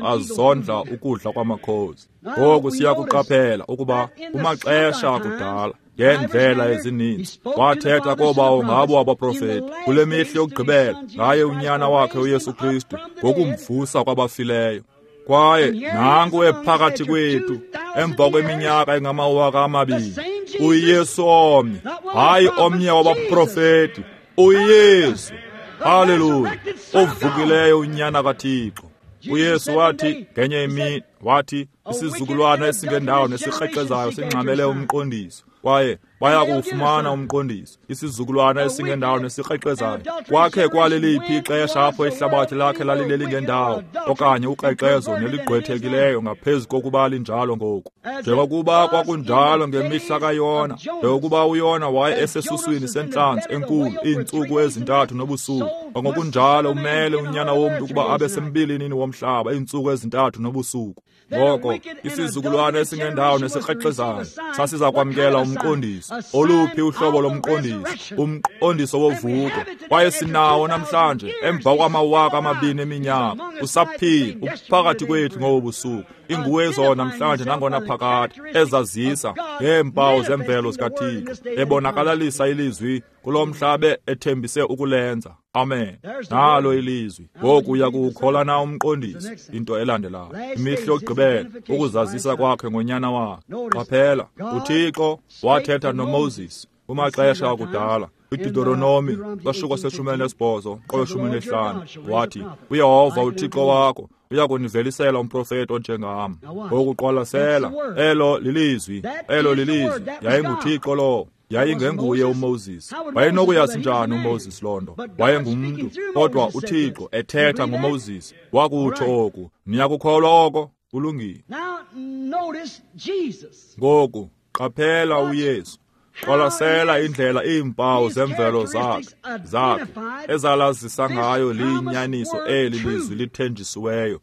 azondla ukudla kwamakhozi. Ngoku siyakuqaphela ukuba kumaxesha akudala ngeendlela ezininzi wathetha koobawo ngabo abaprofeti, kule mihla yokugqibela ngaye unyana wakhe uYesu Kristu ngokumvusa kwabafileyo. Kwaye nanku ephakathi kwethu emva kweminyaka engamawaka amabini, uYesu omnye, hayi omnye wabaprofeti, uYesu, haleluya, ovukileyo unyana kaThixo. uYesu wathi ngenye imini, wathi isizukulwana esingendawo nesikrexezayo singxamele umqondiso, kwaye baya kuwufumana umqondiso. Isizukulwana esingendawo nesikrexezayo. Kwakhe kwaleliphi ixesha apho ihlabathi lakhe lalilelingendawo okanye ukrexezo neligqwethekileyo ngaphezu kokuba linjalo ngoku? Njengokuba kwakunjalo ngemihla kaYona, njengokuba uYona waye esesuswini sentlanzi enkulu iintsuku ezintathu nobusuku, ngokunjalo umele unyana womntu ukuba abe sembilinini womhlaba iintsuku ezintathu nobusuku. Ngoko isizukulwana esingendawo nesikrexezayo sasiza kwamkela umqondiso. Oluphi uhlobo lomqondiso? Umqondiso wovuko. Kwaye sinawo namhlanje emva kwamawaka amabini eminyaka. Usaphila uphakathi kwethu ngobu busuku. Inguwe zona namhlanje nangona phakade, ezazisa ngeempawu zemvelo zikaThixo, ebonakalalisa ilizwi kulo mhlaba ethembise ukulenza. Amen. Nalo ilizwi. Ngoku uya kuwukholwa na umqondiso? Into elandelayo, imihla yokugqibela, ukuzazisa kwakhe ngonyana wakhe. Qaphela, uThixo wathetha noMoses kumaxesha akudala. IDeuteronomi sahluko seshumi elinesibhozo qolo shumi elinesihlanu wathi, uYehova uThixo wakho uya kunivelisela umprofeti onjengam. Ngoku qwalasela, elo lilizwi, elo lilizwi, yayinguThixo lowo. Yayingenguye uMoses. Wayenokuyazi njani uMoses loo nto? Wayengumntu, kodwa uThixo ethetha ngoMoses wakutsho oku. Niyakukholwa oko? Kulungile. Ngoku qaphela uYesu. Qwalasela indlela iimpawu zemvelo zakhe zakhe ezalazisa ngayo liyinyaniso eli lizwi lithenjisiweyo.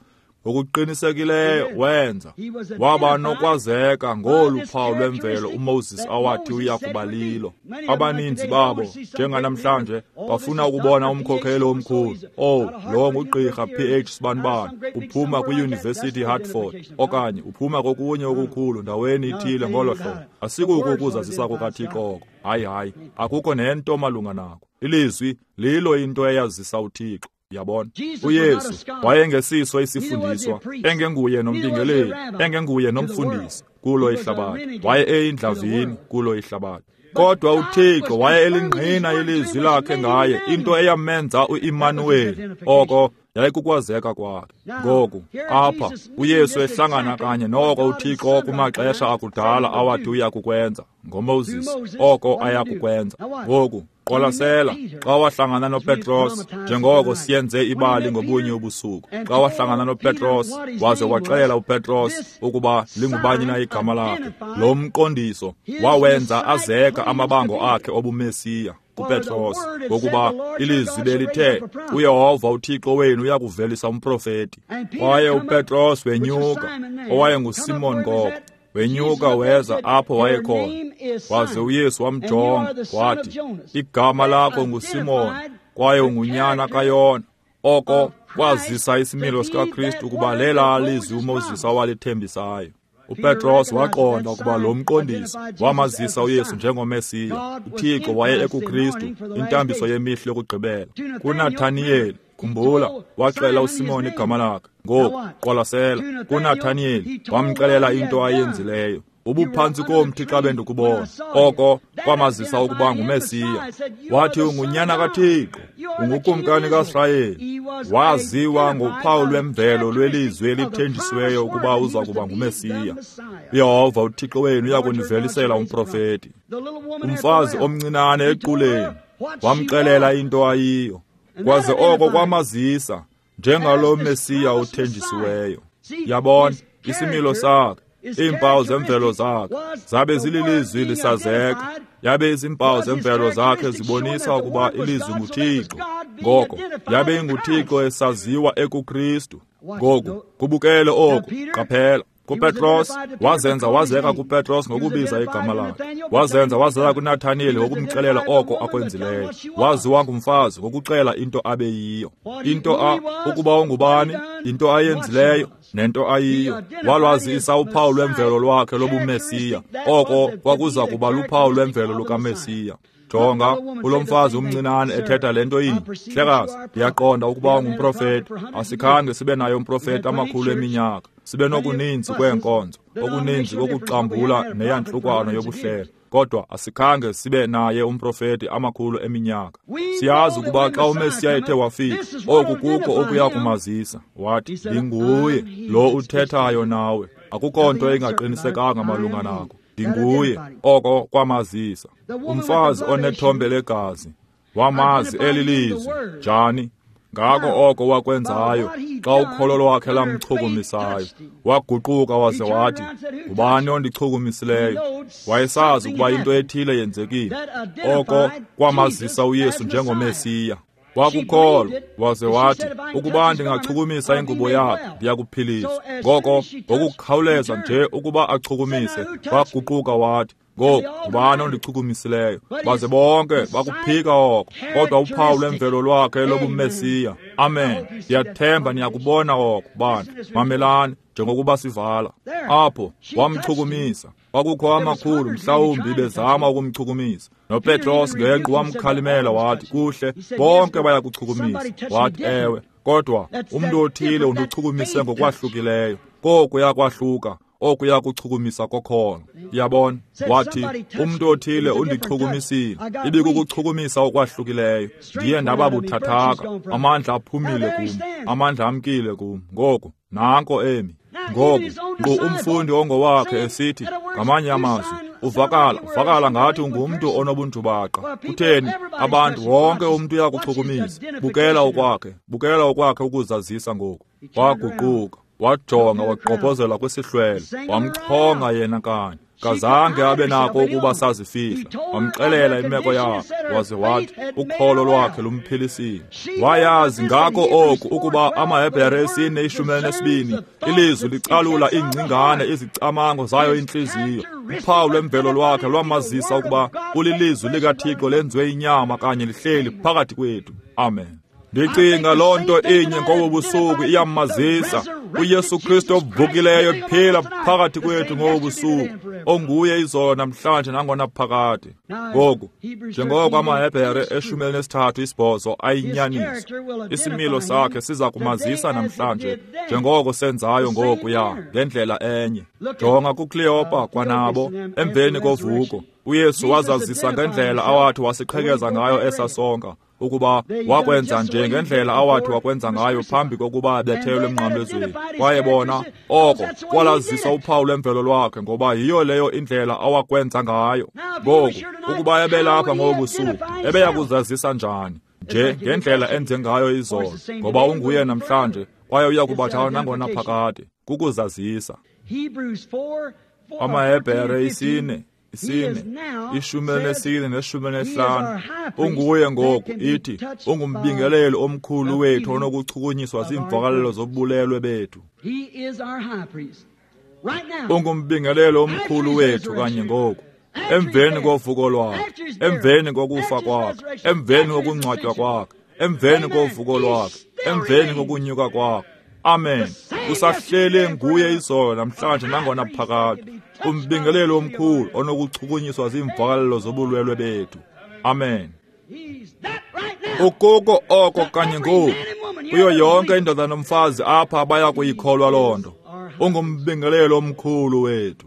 Ngokuqinisekileyo wenza waba nokwazeka ngolu phawu lwemvelo uMoses awathi uya kuba lilo. Abaninzi babo njenganamhlanje bafuna ukubona umkhokheli omkhulu. Oh, lo ngugqirha P H Sibanibani, uphuma kwiYunivesithi Hartford okanye uphuma kokunye okukhulu ndaweni ithile ngolo hlobo. Asikuko ukuzazisa kukaThixo oko. Hayi, hayi, akukho nento malunga nako. Ilizwi lilo into eyazisa uThixo. Yabona, uYesu wayengesiso isifundiswa, engenguye nombingeleli, engenguye nomfundisi kulo ihlabathi, waye eyindlavini kulo ihlabathi. Kodwa uThixo waye elingqina ilizwi lakhe ngaye, into eyamenza uImmanuweli. Oko yayikukwazeka kwakhe. Ngoku apha uYesu ehlangana kanye noko uThixo kumaxesha akudala awathi uya kukwenza ngoMoses, oko aya kukwenza. Ngoku qwalasela, xa wahlangana noPetros, njengoko siyenze ibali ngobunye ubusuku, xa wahlangana noPetros waze waxelela uPetros ukuba lingubani na igama lakhe, lo mqondiso wawenza azeka amabango akhe obuMesiya kuPetros, ngokuba ilizwi belithe uYehova uThixo wenu uyakuvelisa umprofeti. Kwaye uPetros wenyuka, owayenguSimon ngoko, wenyuka weza apho wayekhona. Waze uYesu wamjonga wathi, igama lakho nguSimon kwaye ungunyana kaYona. Oko kwazisa isimilo sikaKristu ukuba lela lizwi uMoses awalithembisayo. uPetros waqonda ukuba lo mqondiso wamazisa uYesu njengoMesiya. uThixo waye ekuKristu, intambiso yemihla yokugqibela. KuNathaniyeli, khumbula, waxela uSimon igama lakhe. Ngoku qwalasela, kuNathaniyeli wamxelela into ayenzileyo. Ubuphantsi komthi xa bendikubona. Oko kwamazisa ukuba nguMesiya. Wathi ungunyana kaThixo, ungukumkani kaSirayeli. Waziwa ngophawu lwemvelo lwelizwi elithenjisiweyo ukuba uza kuba nguMesiya. UYehova uThixo wenu uya kunivelisela umprofeti. Umfazi omncinane equleni wamxelela into ayiyo, kwaze oko kwamazisa njengalo Mesiya uthenjisiweyo. Yabona isimilo sakhe, iimpawu zemvelo zakhe zabe zililizwi lisazeka, yabe izimpawu zemvelo zakhe zibonisa ukuba ilizwi nguThixo. Ngoko yabe inguThixo esaziwa ekuKristu. Ngoku kubukele oku, qaphela. KuPetros wazenza wazeka kuPetros ngokubiza igama lakhe. Wazenza wazeka kuNathaniyeli ngokumxelela oko akwenzileyo. Waziwa ngumfazi ngokuxela into abeyiyo, into a ukuba ungubani, into ayenzileyo nento ayiyo. Walwazisa uphawu lwemvelo lwakhe lobuMesiya. Oko kwakuza kuba luphawu lwemvelo lukaMesiya. Jonga, ulomfazi umncinane ethetha le nto inye. Hlekazi, ndiyaqonda ukuba ungumprofeti. Asikhange sibe naye umprofeti amakhulu eminyaka. Sibe nokuninzi kweenkonzo, okuninzi kokuxambula neyantlukwano yobuhlelo, kodwa asikhange sibe naye umprofeti amakhulu eminyaka. Siyazi ukuba xa uMesiya ethe wafika, oku kukho okuya kumazisa. Wathi, ndinguye lo uthethayo nawe. Akukho nto ingaqinisekanga malunga nako. Ndinguye. Oko kwamazisa. Umfazi onethombe legazi wamazi eli lizwi. Njani? Ngako oko wakwenzayo xa ukholo lwakhe lamchukumisayo, waguquka waze wathi, ngubani ondichukumisileyo? Wayesazi ukuba into ethile yenzekile. Oko kwamazisa uYesu njengoMesiya. Wakukholwa waze wathi, ukuba ndingachukumisa ingubo yakhe ndiyakuphiliswa. Ngoko ngokukhawuleza nje ukuba achukumise, waguquka wathi, ngoku ngubani ondichukumisileyo? Baze bonke bakuphika oko, kodwa uphawu lwemvelo lwakhe lobuMesiya. Amen. Ndiyathemba niyakubona oko, bantu. Mamelani njengokuba sivala. Apho wamchukumisa. Kwakukho amakhulu mhlawumbi bezama ukumchukumisa. NoPetros ngequ wamkhalimela wathi, kuhle, bonke bayakuchukumisa. Wathi, ewe, kodwa umntu othile undichukumise ngokwahlukileyo. Koku yakwahluka, oku yakuchukumisa kokholo. Yabona, wathi, umntu othile undichukumisile. Ibikukuchukumisa okwahlukileyo. Ndiye ndaba buthathaka, amandla aphumile kum, amandla amkile kum. Ngoku nanko emi. Ngoku nkqu umfundi ongowakhe esithi ngamanye amazwi, uvakala uvakala ngathi ungumntu onobunjubaqa. Kutheni? Abantu wonke umntu uyakuchukumisa. Bukela okwakhe, bukela okwakhe ukuzazisa ngoku. Waguquka, wajonga, wagqobhozela kwisihlwele, wamchonga yena kanye. Kazange abe nako ukuba sazifihla. Wamxelela imeko yakhe, waze wathi ukholo lwakhe lumphilisile. Wayazi ngako oku ukuba amaHebhere esine ishumi elinesibini ilizwi licalula iingcingane, izicamango zayo intliziyo. Uphawu lwemvelo lwakhe lwamazisa ukuba ulilizwi likaThixo lenziwe inyama kanye lihleli phakathi kwethu. Amen. Ndicinga loo nto inye ngobu busuku iyamazisa uYesu Kristu ovukileyo ephila phakathi kwethu ngobu busuku, onguye izolo namhlanje nangona phakade. Ngoku njengoko amaHebhere eshumi elinesithathu isibhozo ayinyaniso, isimilo sakhe siza kumazisa namhlanje njengoko senzayo ngokuya ngendlela enye. Jonga kuKleopa kwanabo emveni kovuko, uYesu wazazisa ngendlela awathi wasiqhekeza ngayo esasonka, ukuba wakwenza nje ngendlela awathi wakwenza ngayo phambi kokuba abethelwe emnqamlezweni. Kwaye bona oko kwalazisa uphawu lwemvelo lwakhe, ngoba yiyo leyo indlela awakwenza ngayo. Ngoku ukuba ebelapha ngobusuku, ebeya kuzazisa njani? Nje ngendlela enze ngayo izolo, ngoba unguye namhlanje kwaye uya kubatshayo nangona phakade. Kukuzazisa. AmaHebhere isine isine ishumi elinesine neshumi elinesihlanu. Unguye ngoku, ithi ungumbingeleli omkhulu wethu onokuchukunyiswa ziimvakalelo zobulelwe bethu. Ungumbingeleli omkhulu wethu kanye ngoku, emveni kovuko lwakhe, emveni kokufa kwakhe, emveni kokungcwatywa kwakhe, emveni kovuko lwakhe, emveni kokunyuka kwakhe. Amen. Usahleli nguye izolo namhlanje nangona phakade, umbingeleli omkhulu onokuchukunyiswa ziimvakalelo zobulwelwe bethu. Amen. Ukoko oko kanye ngoku, kuyo yonke indoda nomfazi apha baya kuyikholwa loo nto. Ungumbingeleli omkhulu wethu.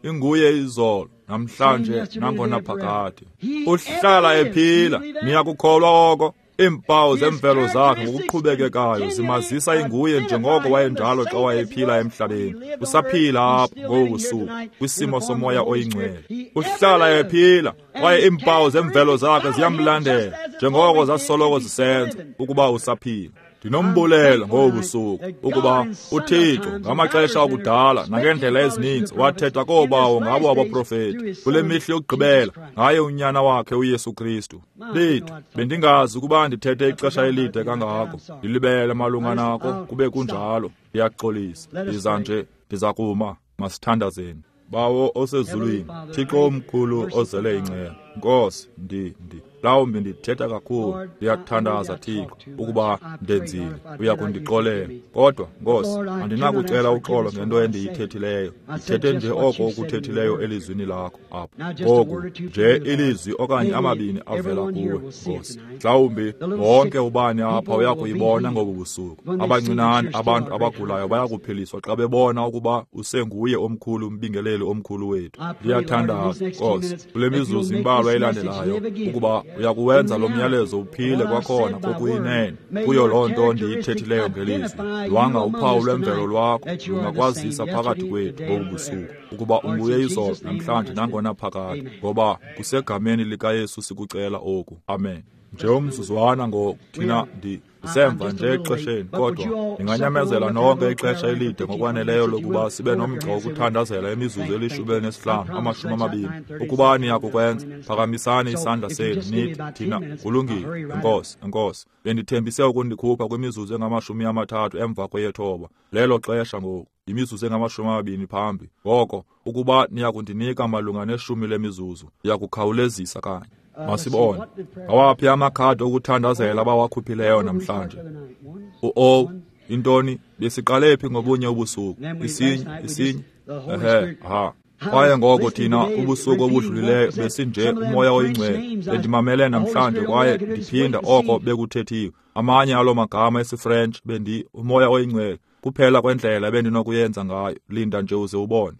Inguye izolo, namhlanje, nangonaphakade. Uhlala ephila. Niyakukholwa oko? Iimpawu zemvelo zakhe ngokuqhubekekayo zimazisa inguye njengoko wayenjalo xa wayephila emhlabeni. Usaphila apha ngobu busuku kwisimo somoya oyingcwele. Uhlala ephila kwaye iimpawu zemvelo zakhe ziyamlandela njengoko zasoloko zisenza ukuba usaphila. Ndinombulelo ngobu busuku ukuba uThixo ngamaxesha akudala nangeendlela ezininzi wathetha koobawo ngabo abaprofeti kule mihla yokugqibela ngaye unyana wakhe uYesu Kristu. Lethu, bendingazi ukuba ndithethe ixesha elide kangako. Ndilibele malunga nako kube kunjalo. Ndiyaxolisa. Ndiza nje, ndiza kuma. Masithandazeni. Bawo osezulwini, Thixo omkhulu ozele inceba, Nkosi, ndi ndi mhlawumbi ndithetha kakhulu. Ndiyakuthandaza Thixo ukuba ndenzile, uyakundixolela. Kodwa Nkosi, andinakucela uxolo ngento endiyithethileyo. Ndithethe nje oko ukuthethileyo elizwini lakho apha. Ngoku nje ilizwi okanye amabini avela kuwe, Nkosi. Mhlawumbi wonke ubani apha uyakuyibona ngobu busuku. Abancinane abantu abagulayo bayakuphiliswa xa bebona ukuba usenguye omkhulu umbingeleli omkhulu wethu. Ndiyathandaza Nkosi, kule mizuzu imbalwa elandelayo ukuba uyakuwenza lo myalezo uphile kwakhona kokuyinene kuyo loo nto ndiyithethileyo ngelizwi. Lwanga uphawu lwemvelo lwakho lungakwazisa phakathi kwethu ngobu busuku ukuba unguye izolo, namhlanje, nangonaphakade, ngoba kusegameni likaYesu sikucela oku. Amen. Nje umzuzwana ngoku, thina ndi ndisemva nje exesheni, kodwa ndinganyamezela nonke ixesha elide ngokwaneleyo lokuba sibe nomgca wokuthandazela imizuzu elishumi elinesihlanu, amashumi amabini. Ukuba niyakukwenza, phakamisani isandla senu nithi, thina kulungile, Enkosi, enkosi. Bendithembise ukundikhupha kwimizuzu engamashumi amathathu emva kweyethoba. Lelo xesha ngoku, yimizuzu engamashumi amabini phambi. Ngoko, ukuba niyakundinika malunga neshumi lemizuzu, ndiyakukhawulezisa kanye. Masibone. Awaphi amakhadi okuthandazela abawakhuphileyo namhlanje? U-O, intoni, besiqale phi ngobunye ubusuku? Isinye, isinye, ehe, aha. Kwaye ngoko thina ubusuku obudlulileyo besinje umoya oyingcwele. Bendimamele namhlanje kwaye ndiphinda oko bekuthethiwe. Amanye alo magama esiFrench bendi umoya oyingcwele. Kuphela kwendlela ebendinokuyenza ngayo. Linda nje uze ubone.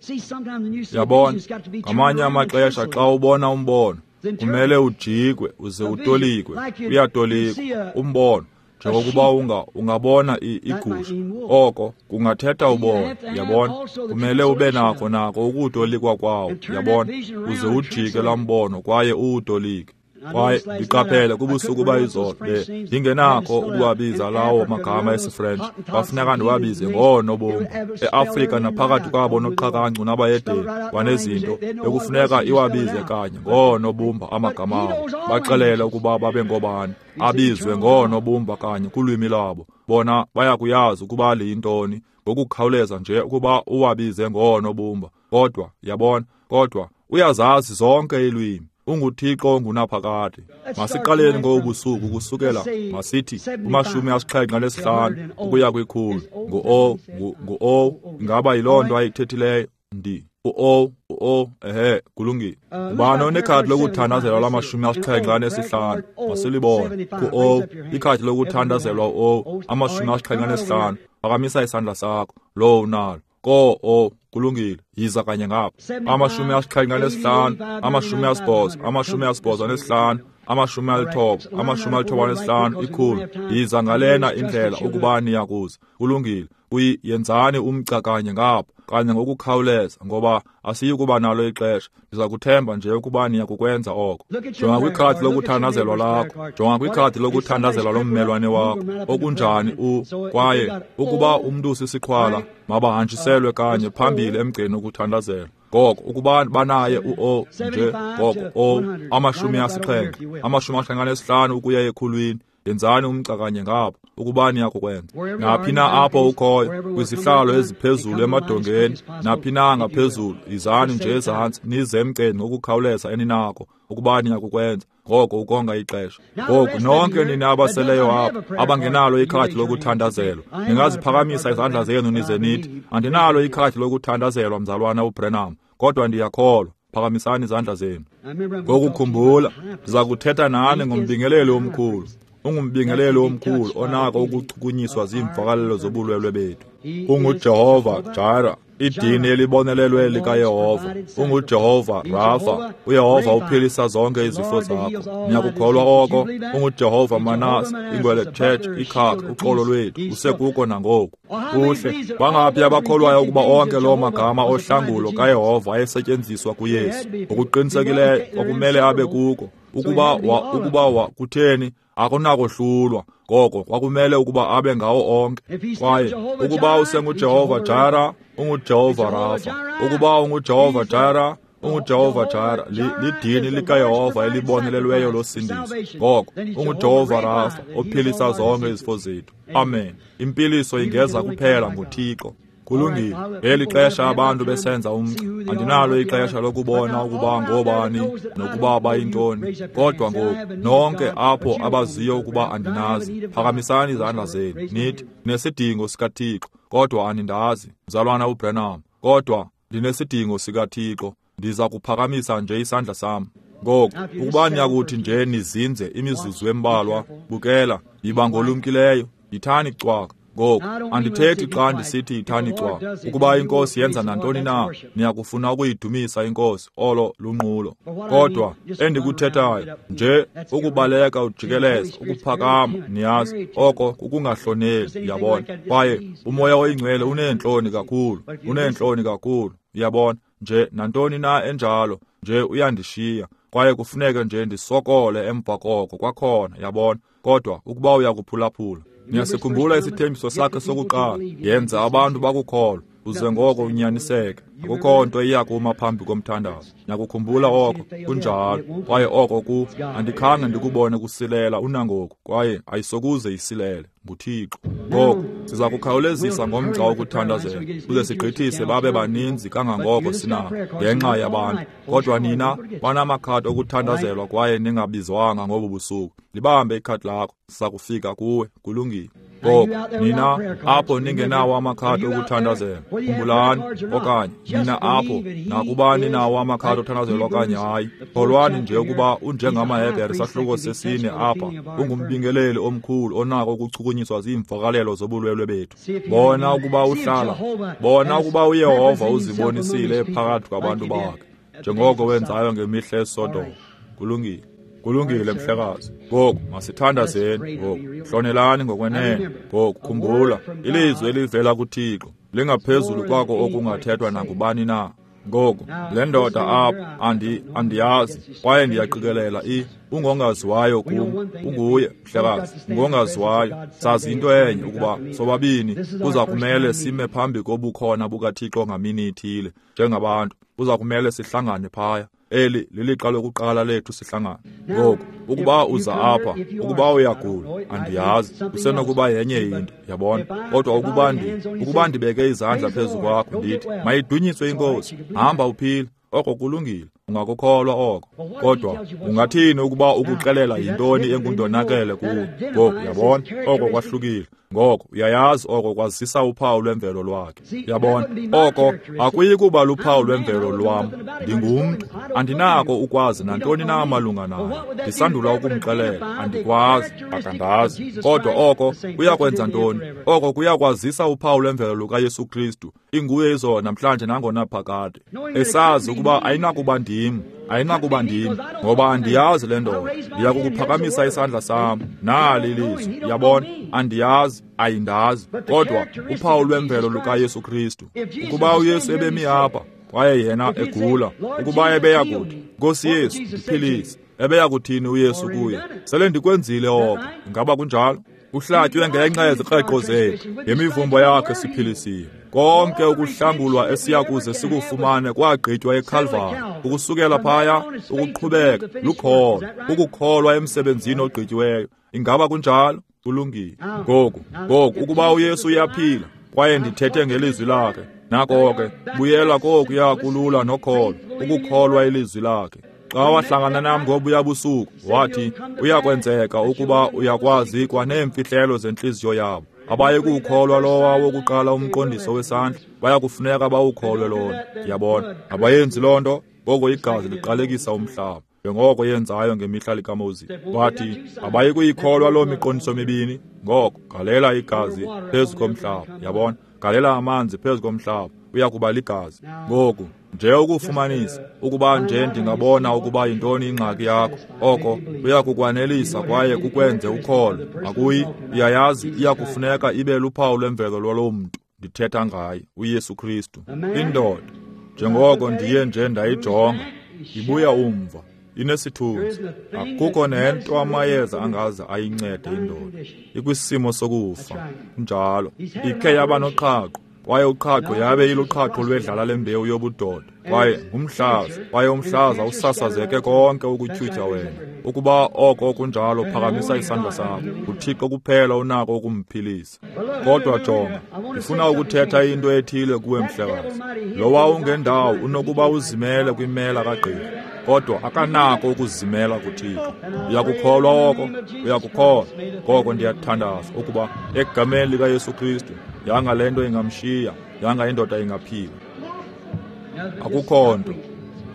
Yabona, ngamanye amaxesha xa ubona umbono, kumele ujikwe uze utolikwe. Uyatolikwa umbono njengokuba unga ungabona igusha, oko kungathetha ubona. Yabona, kumele ube nako nako ukutolikwa kwawo. Yabona, uze ujike laa mbono kwaye uwutolike. Kwaye ndiqaphele kubusuku bayizolo ndingenakho ukuwabiza lawo magama esiFrench, kwafuneka ndiwabize ngoonobumba. EAfrika naphakathi kwabo noqhakancu nabayedeni kwanezinto bekufuneka iwabize kanye ngoonobumba amagama abo, baxelele ukuba babe ngobani, abizwe ngoonobumba kanye kulwimi lwabo. Bona bayakuyazi ukuba liyintoni ngokukhawuleza nje ukuba uwabize ngoonobumba. Kodwa yabona, kodwa uyazazi zonke iilwimi. UnguThixo ongunaphakade. Masiqaleni ngobusuku kusukela masithi kumashumi asixhenxe anesihlanu ukuya kwikhulu. Ngu-O, ngu-O, ingaba yiloo nto ayithethileyo? Ndi u-O, u-O, ehe, kulungile. Ubani onekhadi lokuthandazelwa lamashumi asixhenxe anesihlanu? Masilibone. Ku-O, ikhadi lokuthandazelwa u-O, amashumi asixhenxe anesihlanu. Phakamisa isandla sakho, lowo unalo. Ko-O, kulungile, yiza kanye ngapha. Amashumi asixhenxe anesihlanu, amashumi asibhozo, amashumi asibhozo anesihlanu, amashumi alithoba, amashumi alithoba anesihlanu, ikhulu. Yiza ngalena indlela ukuba niyakuza. Kulungile, kuyi yenzani umgca kanye ngapha, kanye ngokukhawuleza, ngoba asiyi kuba nalo ixesha. Ndiza kuthemba nje ukuba niyakukwenza oko. Jonga kwikhadi lokuthandazelwa lakho, jonga kwikhadi lokuthandazelwa lommelwane wakho, okunjani u kwaye ukuba umntu usisiqhwala, mabahanjiselwe kanye phambili emgceni wokuthandazela. Ngoko ukuba banaye u-O nje, ngoko O, amashumi asixhenxe, amashumi asixhenxe anesihlanu ukuya ekhulwini. Yenzani umgca kanye ngapha ukuba niyakukwenza. Naphi na apho ukhoyo, kwizihlalo eziphezulu emadongeni, naphi na ngaphezulu, yizani nje ezantsi nize emgceni ngokukhawuleza eninako ukuba niyakukwenza. Ngoko ukonga ixesha. Ngoku nonke nina abaseleyo apha abangenalo ikhadi lokuthandazelwa, ningaziphakamisa izandla zenu nize nithi, andinalo ikhadi lokuthandazelwa mzalwana uBrenham, kodwa ndiyakholwa. Phakamisani izandla zenu. Ngoku khumbula, ndiza kuthetha nani ngombingeleli omkhulu. Ungumbingeleli omkhulu onako ukuchukunyiswa ziimvakalelo zobulwelwe bethu. UnguJehova Jireh, Idini elibonelelwe likaYehova. UnguJehova Rafa. UYehova uphilisa zonke izifo zakho. Niyakukholwa oko? UnguJehova Manase, ingwele Church, ikhaka, uxolo lwethu, usekuko nangoku. Kuhle. Bangaphi abakholwayo ukuba onke loo magama ohlangulo kaYehova ayesetyenziswa kuYesu? Ngokuqinisekileyo kwakumele abe kuko. Ukuba wa, ukuba wa, kutheni akunakohlulwa. Ngoko kwakumele ukuba abe ngawo onke. Kwaye ukuba usenguJehova Jara, unguJehova Rafa. Ukuba unguJehova Jara, unguJehova Jara, lidini likaYehova elibonelelweyo losindiso. Ngoko unguJehova Rafa ophilisa zonke izifo zethu. Amen. Impiliso ingeza kuphela ngoThixo. Kulungile. Ngeli xesha abantu besenza umgca, andinalo ixesha lokubona ukuba ngobani nokuba bayintoni. Kodwa ngoku nonke apho abaziyo ukuba andinazi, phakamisani izandla zenu nithi, ndinesidingo sikaThixo, kodwa anindazi, mzalwana uBranham, kodwa ndinesidingo sikaThixo, ndiza kuphakamisa nje isandla sam. Ngoku ukuba niyakuthi nje nizinze imizuzu embalwa, bukela, yiba ngolumkileyo, yithani cwaka. Ngoku andithethi xa ndisithi yithani cwaka. Ukuba inkosi yenza nantoni na, niyakufuna ukuyidumisa inkosi, olo lunqulo. Kodwa endikuthethayo nje ukubaleka ujikeleza, ukuphakama, niyazi, oko kukungahloneli, uyabona. Kwaye uMoya oyiNgcwele uneentloni kakhulu, uneentloni kakhulu, uyabona. Nje nantoni na enjalo, nje uyandishiya. Kwaye kufuneke nje ndisokole emva koko kwakhona, yabona. Kodwa ukuba uyakuphulaphula, niyasikhumbula isithembiso sakhe sokuqala, yenza abantu bakukholwa, uze ngoko unyaniseke. Akukho nto iyakuma phambi komthandazo. Niyakukhumbula oko, kunjalo. Kwaye oko ku andikhange ndikubone kusilela unangoku, kwaye ayisokuze isilele, nguThixo. Ngoku siza kukhawulezisa ngomgca wokuthandazela, kuze sigqithise babe baninzi kangangoko sinako ngenxa yabantu. Kodwa nina banamakhadi okuthandazelwa kwaye ningabizwanga ngobu busuku, libambe ikhadi lakho, siza kufika kuwe. Kulungile. Ngoku nina apho ningenawo amakhadi okuthandazela, khumbulani, okanye nina apho nakuba ninawo amakhadi okuthandazelwa okanye hayi, kholwani nje ukuba unjengamaHebhere sahluko sesine apha, ungumbingeleli omkhulu onako ukuchukunyiswa ziimvakalelo zobulwelwe bethu. Bona ukuba uhlala, bona ukuba uYehova uzibonisile phakathi kwabantu bakhe, njengoko wenzayo ngemihla eSodom. Kulungile. Kulungile mhlekazi. Ngoku masithandazeni. Ngoku hlonelani ngokwenene. Ngoku khumbula, ilizwi elivela kuThixo lingaphezulu kwako okungathethwa nangubani na. Ngoku le ndoda apha andi andiyazi, kwaye ndiyaqikelela i ungongaziwayo kum. Unguye mhlekazi, ungongaziwayo. Sazi into enye, ukuba sobabini kuza kumele sime phambi kobukhona bukaThixo ngamini ithile njengabantu. Kuza kumele sihlangane phaya. Eli lilixa lokuqala lethu sihlangana. Ngoku ukuba uza apha, ukuba uyagula, andiyazi, usenokuba yenye into, yabona. Kodwa ukuba ndi ukuba ndibeke izandla phezu kwakho ndithi, mayidunyiswe inkosi, hamba uphile, oko kulungile, ungakukholwa oko. Kodwa ungathini ukuba ukuxelela yintoni engundonakele kuwe? Ngoku yabona, oko kwahlukile. Ngoko uyayazi oko kwazisa uphawu lwemvelo lwakhe. Uyabona, oko akuyi kuba luphawu lwemvelo lwam. Ndingumntu, andinako ukwazi nantoni na malunga naye. Ndisandula ukumxelela, andikwazi, akandazi. Kodwa oko kuyakwenza ntoni? Oko kuyakwazisa uphawu lwemvelo lukaYesu Kristu, inguye izolo namhlanje nangonaphakade. Esazi ukuba ayinakuba ndim, ayinakuba ndim, ngoba andiyazi le ndoda. Ndiyakukuphakamisa isandla sam, nali ilizwi. Uyabona, andiyazi, ayindazi. Kodwa uphawu lwemvelo lukaYesu Kristu. Ukuba uYesu ebemi apha kwaye yena egula, ukuba ebeya kuthi, Nkosi Yesu, ndiphilise, ebeya kuthini uYesu kuye? Sele ndikwenzile oko. Ingaba kunjalo? Uhlatywe ngenxa yezikreqo zethu, ngemivumbo yakhe siphilisiwe. Konke ukuhlangulwa esiyakuze sikufumane kwagqitywa eKalvari. Ukusukela phaya ukuqhubeka lukholo, ukukholwa emsebenzini ogqityiweyo. Ingaba kunjalo? Kulungile. Ngoku, ngoku ukuba uYesu uyaphila kwaye ndithethe ngelizwi lakhe, nako ke buyela kokuya kulula nokholo, ukukholwa ilizwi lakhe. Xa wahlangana nam ngobuya busuku, wathi uyakwenzeka ukuba uyakwazi kwaneemfihlelo zentliziyo yabo. Abaye kuwukholwa lowa wokuqala umqondiso wesandla, bayakufuneka bawukholwe lona. Ndiyabona, abayenzi loo nto. Ngoko igazi liqalekisa umhlaba, njengoko yenzayo ngemihla likaMoses. Wathi abayi kuyikholwa loo miqondiso mibini. Ngoko galela igazi phezu komhlaba. Yabona, galela amanzi phezu komhlaba. uyakuba ligazi. Ngoku nje ukufumanisa ukuba nje ndingabona ukuba yintoni ingxaki yakho, oko kuyakukwanelisa kwaye kukwenze ukholwe. Akuyi, uyayazi iyakufuneka ibe luphawu lwemvelo lwaloo mntu ndithetha ngaye, uYesu Kristu. Indoda, njengoko ndiye nje ndayijonga, ibuya umva, inesithunzi. Akukho nento amayeza angaze ayincede indoda. Ikwisimo sokufa, njalo. Ikhe yaba noqhaqho, kwaye uqhaqho yabe iluqhaqho lwedlala lembewu yobudoda, kwaye ngumhlaza, kwaye umhlaza usasazeke konke ukutyhutyha wena. Ukuba oko kunjalo, phakamisa isandla sakho. UThixo kuphela unako ukumphilisa. Kodwa jonga, ndifuna ukuthetha into ethile kuwe mhlekazi. Lowa ungendawo unokuba uzimele kwimela kagqirha, kodwa akanako ukuzimela kuThixo. Uyakukholwa oko? Uyakukholwa? Ngoko ndiyathandaza ukuba egameni likaYesu Kristu, yanga le nto ingamshiya, yanga indoda ingaphila. Akukho nto,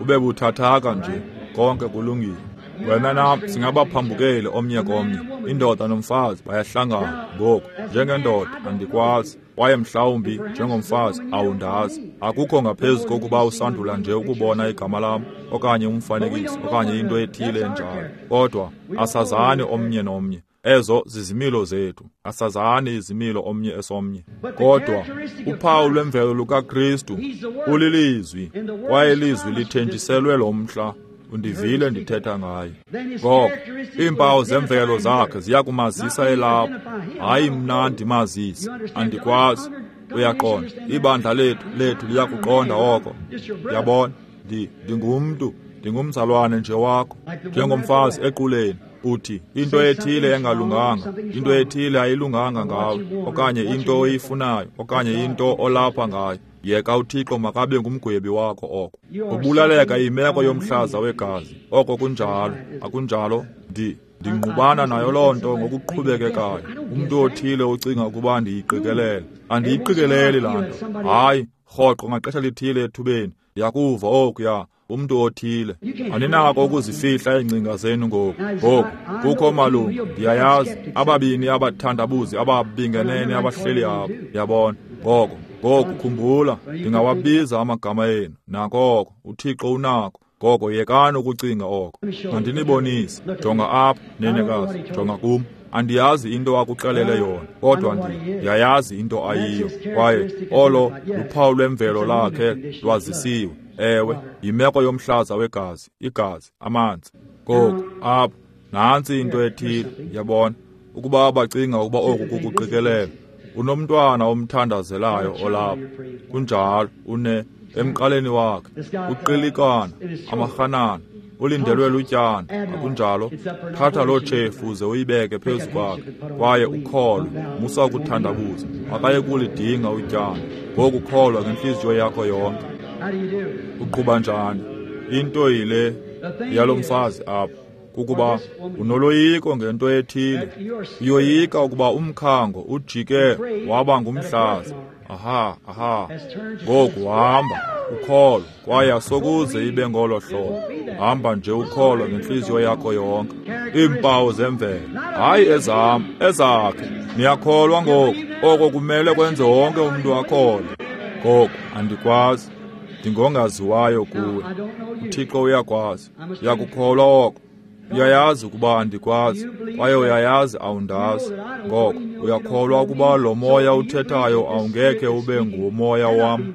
ube buthathaka nje, konke kulungile. Wena nam singabaphambukeli omnye komnye. Indoda nomfazi bayahlangana. Ngoku njengendoda andikwazi, kwaye mhlawumbi njengomfazi awundazi. Akukho ngaphezu kokuba usandula nje ukubona igama lam okanye umfanekiso okanye into ethile enjalo. Kodwa asazani omnye nomnye. Ezo zizimilo zethu, asazani izimilo omnye esomnye. Kodwa uphawu lwemvelo lukaKristu ulilizwi, kwaye ilizwi lithenjiselwe lo mhla. Undivile ndithetha ngaye. Ngoko iimpawu zemvelo zakhe ziyakumazisa elapho. Hayi mna ndimazise, andikwazi. Uyaqonda, ibandla lethu lethu liyakuqonda oko. Yabona, ndi ndingumntu, ndingumzalwane nje wakho, njengomfazi equleni. Uthi into ethile engalunganga, into ethile ayilunganga ngawe, okanye into oyifunayo, okanye into olapha ngayo. Yeka uThixo makabe ngumgwebi wakho oko. Ubulaleka imeko yomhlaza wegazi. Oko kunjalo, akunjalo? Ndi ndingqubana nayo loo nto ngokuqhubekekayo. Umntu othile ucinga ukuba ndiyiqikelele. Andiyiqikeleli laa nto. Hayi, rhoqo ngaxesha lithile ethubeni ndiyakuva okuya umntu othile. Aninako ukuzifihla iingcinga zenu ngoku. Ngoku kukho malungu, ndiyayazi, ababini abathandabuzi ababingenene abahleli apha. Yabona? Ngoko ngoku khumbula, ndingawabiza amagama enu. Nakoko uThixo unako. Ngoko yekani ukucinga oko. Mandinibonise. Jonga apha, nenekazi, jonga kum. Andiyazi into akuxelele yona, kodwa ndiyayazi into ayiyo. Kwaye olo luphawu lwemvelo lakhe lwazisiwe. Ewe, yimeko yomhlaza wegazi, igazi, amanzi. Ngoku apha, nantsi into ethile, yabona, ukuba bacinga ukuba oku kukuqikelela. Unomntwana omthandazelayo olapha. Kunjalo, une emqaleni wakhe, uqilikana, amarhanana, ulindelwe lutyana. Akunjalo? Thatha loo tshefu uze uyibeke phezu kwakhe, kwaye ukholwe. Musa ukuthandabuza. Akaye kulidinga utyana. Ngoku kholwa ngentliziyo yakho yonke. Uqhuba njani? Into yile yalo mfazi apha, kukuba unoloyiko ngento ethile. Uyoyika ukuba umkhango ujike waba ngumhlaza. Aha, aha. Ngoku hamba ukholwe, kwaye asokuze ibe ngolo hlobo. Hamba nje ukholwe ngentliziyo yakho yonke. Iimpawu zemvelo, hayi ezam, ezakhe. Niyakholwa ngoku? Oko kumele kwenze wonke umntu akholwe. Ngoku andikwazi, ndingongaziwayo kuwe. UThixo uyakwazi. Uyakukholwa oko? Uyayazi ukuba andikwazi, kwaye uyayazi awundazi. Ngoko uyakholwa ukuba lo moya uthethayo awungekhe ube ngumoya wam,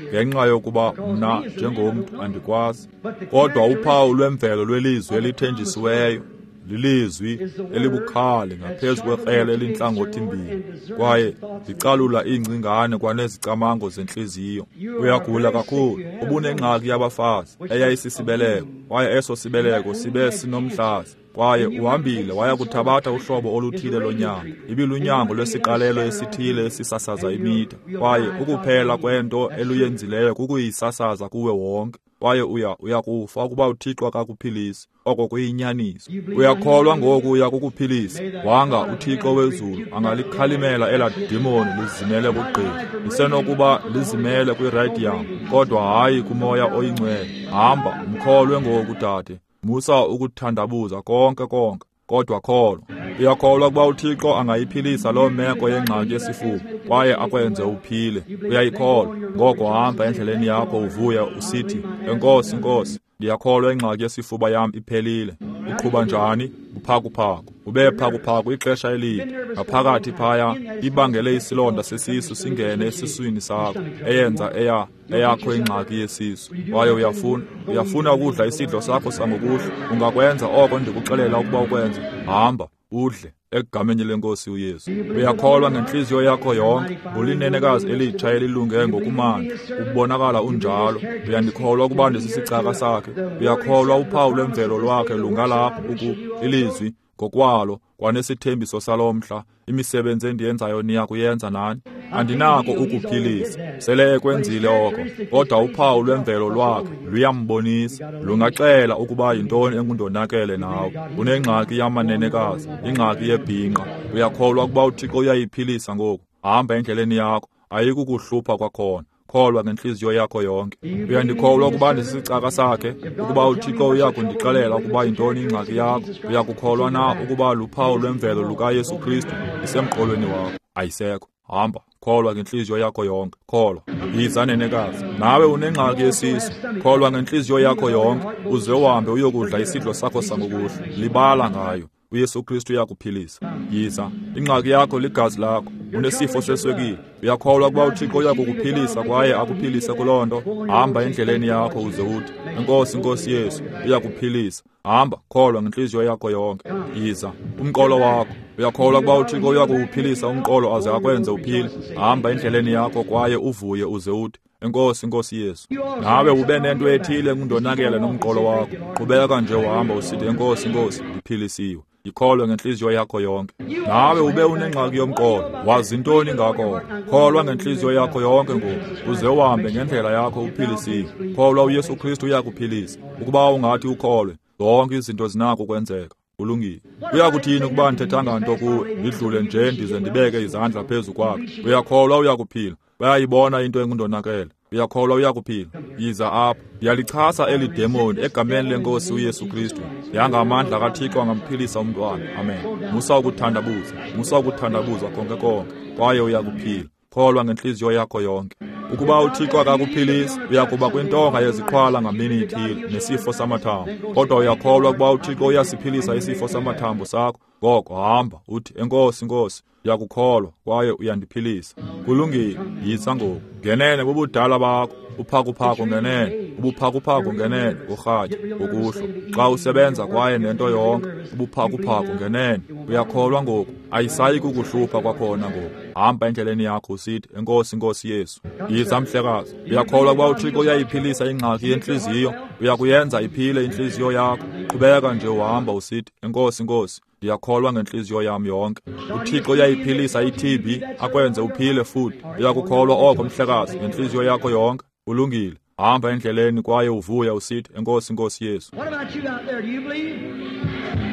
ngenxa yokuba mna njengomntu andikwazi. Kodwa uphawu lwemvelo lwelizwi elithenjisiweyo lilizwi elibukhali ngaphezu kwekrele elintlangothi-mbini, kwaye zicalula iingcingane kwanezicamango zentliziyo. Uyagula kakhulu, ubunengxaki yabafazi eyayisisibeleko, kwaye eso sibeleko sibe sinomhlaza. Kwaye uhambile waya kuthabatha uhlobo oluthile lonyango. Ibilunyango lwesiqalelo esithile esisasaza imitha, kwaye ukuphela kwento eluyenzileyo kukuyisasaza kuwe wonke. Kwaye uya uyakufa ukuba uThixo akakuphilisi. Oko kuyinyaniso. Uyakholwa ngoku uya kukuphilisa? Wanga uThixo wezulu angalikhalimela elaa dimoni lizimele kugqirha. Lisenokuba lizimele kwiradium, kodwa hayi kumoya oyingcwele. Hamba umkholwe ngoku, dade. Musa ukuthandabuza konke konke, kodwa kholwa. Uyakholwa ukuba uThixo angayiphilisa loo meko yengxaki yesifuba kwaye akwenze uphile? Uyayikholwa? Ngoko hamba endleleni yakho uvuya usithi, Enkosi, Nkosi, ndiyakholwa ingxaki yesifuba yam iphelile. Uqhuba njani? Uphakuphaku. Ube phakuphaku ixesha elide. Ngaphakathi phaya ibangele isilonda sesisu singene esiswini sakho, eyenza eya eyakho ingxaki yesisu. Kwaye uyafuna uyafuna ukudla isidlo sakho sangokuhlwa. Ungakwenza oko ndikuxelela ukuba ukwenze. Hamba udle egameni lenkosi uYesu. Uyakholwa ngentliziyo yakho yonke. Ulinenekazi elitsha elilunge ngokumandla, ubonakala unjalo. Uyandikholwa ukuba ndisisicaka sakhe? Uyakholwa uphawu lwemvelo lwakhe lungalapho uku ilizwi ngokwalo kwanesithembiso salo mhla, imisebenzi endiyenzayo niya kuyenza nani? Andinako ukuphilisa, sele ekwenzile oko, kodwa uphawu lwemvelo lwakhe luyambonisa, lungaxela ukuba yintoni engundonakele nawe. Unengxaki yamanenekazi, ingxaki yebhinqa. Uyakholwa ukuba uThixo uyayiphilisa ngoku? Hamba endleleni yakho, ayikukuhlupha kwakhona. Kholwa ngentliziyo yakho yonke. Uyandikholwa ukuba ndisisicaka sakhe? Ukuba uThixo uyakundixelela ukuba yintoni ingxaki yakho, uyakukholwa na ukuba luphawu lwemvelo lukaYesu Kristu isemqolweni wakho? Ayisekho. Hamba, kholwa ngentliziyo yakho yonke. Kholwa. Yiza nenekazi, nawe unengxaki yesisu. Kholwa ngentliziyo yakho yonke, uze uhambe uyokudla isidlo sakho sangokuhlwa. Libala ngayo. uYesu Kristu uyakuphilisa. Yiza. Ingxaki yakho ligazi lakho. Unesifo seswekile. Uyakholwa ukuba uThixo uyakukuphilisa kwaye akuphilise kuloo nto? Hamba endleleni yakho uze uthi, Enkosi, Nkosi Yesu, uyakuphilisa. Hamba, kholwa ngentliziyo yakho yonke. Yiza. Umqolo wakho. Uyakholwa ukuba uThixo uyakuwuphilisa umqolo aze akwenze uphile? Hamba endleleni yakho kwaye uvuye uze uthi, Enkosi, Nkosi Yesu. Nawe ube nento ethile engundonakele nomqolo wakho. Qhubeka nje uhamba usithi, Enkosi, Nkosi, ndiphilisiwe. Ikholwe ngentliziyo yakho yonke. Nawe ube unengxaki yomqolo, wazi ntoni ngako? Kholwa ngentliziyo yakho yonke ngoku, uze uhambe ngendlela yakho uphilisiwe. Kholwa uYesu Kristu uyakuphilisa. Ukuba ungathi ukholwe, zonke izinto zinako ukwenzeka. Kulungile. Uyakuthini ukuba ndithethanga nto kuwe, ndidlule nje ndize ndibeke izandla phezu kwakho? Uyakholwa uyakuphila. Bayayibona into engundonakele. Uyakholwa uyakuphila. Yiza apha. Ndiyalichasa eli demoni egameni lenkosi uYesu Kristu. Yangamandla kaThixo angamphilisa umntwana. Amen. Musa ukuthandabuza. Musa ukuthandabuza konke konke. Kwaye uyakuphila. Kholwa ngentliziyo yakho yonke. Ukuba uThixo akakuphilisi, uyakuba kwintonga yeziqhwala ngamini ithile nesifo samathambo. Kodwa uyakholwa ukuba uThixo uyasiphilisa isifo samathambo sakho? Ngoko hamba uthi, Enkosi, Nkosi, ndiyakukholwa kwaye uyandiphilisa. Kulungile, yiza ngoku. Ngenene bubudala bakho, uphakuphaku ngenene, ubuphakuphaku ngenene, urhatya, ngokuhlwa. Xa usebenza kwaye nento yonke, ubuphakuphaku ngenene. Uyakholwa ngoku, ayisayi kukuhlupha kwakhona ngoku. Hamba endleleni yakho usithi, Enkosi, Nkosi Yesu. Yiza mhlekazi. Uyakholwa ukuba uThixo uyayiphilisa ingxaki yentliziyo? Uyakuyenza iphile intliziyo yakho. Qhubeka nje uhamba usithi, Enkosi, Nkosi, ndiyakholwa ngentliziyo yam yonke. uThixo uyayiphilisa i-T B, akwenze uphile futhi. Uyakukholwa oko mhlekazi ngentliziyo yakho yonke? Ulungile. Hamba endleleni kwaye uvuya usithi, Enkosi, Nkosi Yesu. What about you out there? Do you believe?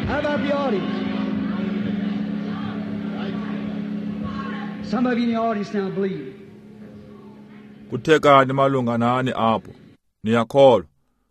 How about the audience? Some of you in the audience now believe. Kuthekani malunga nani apho? Niyakholwa?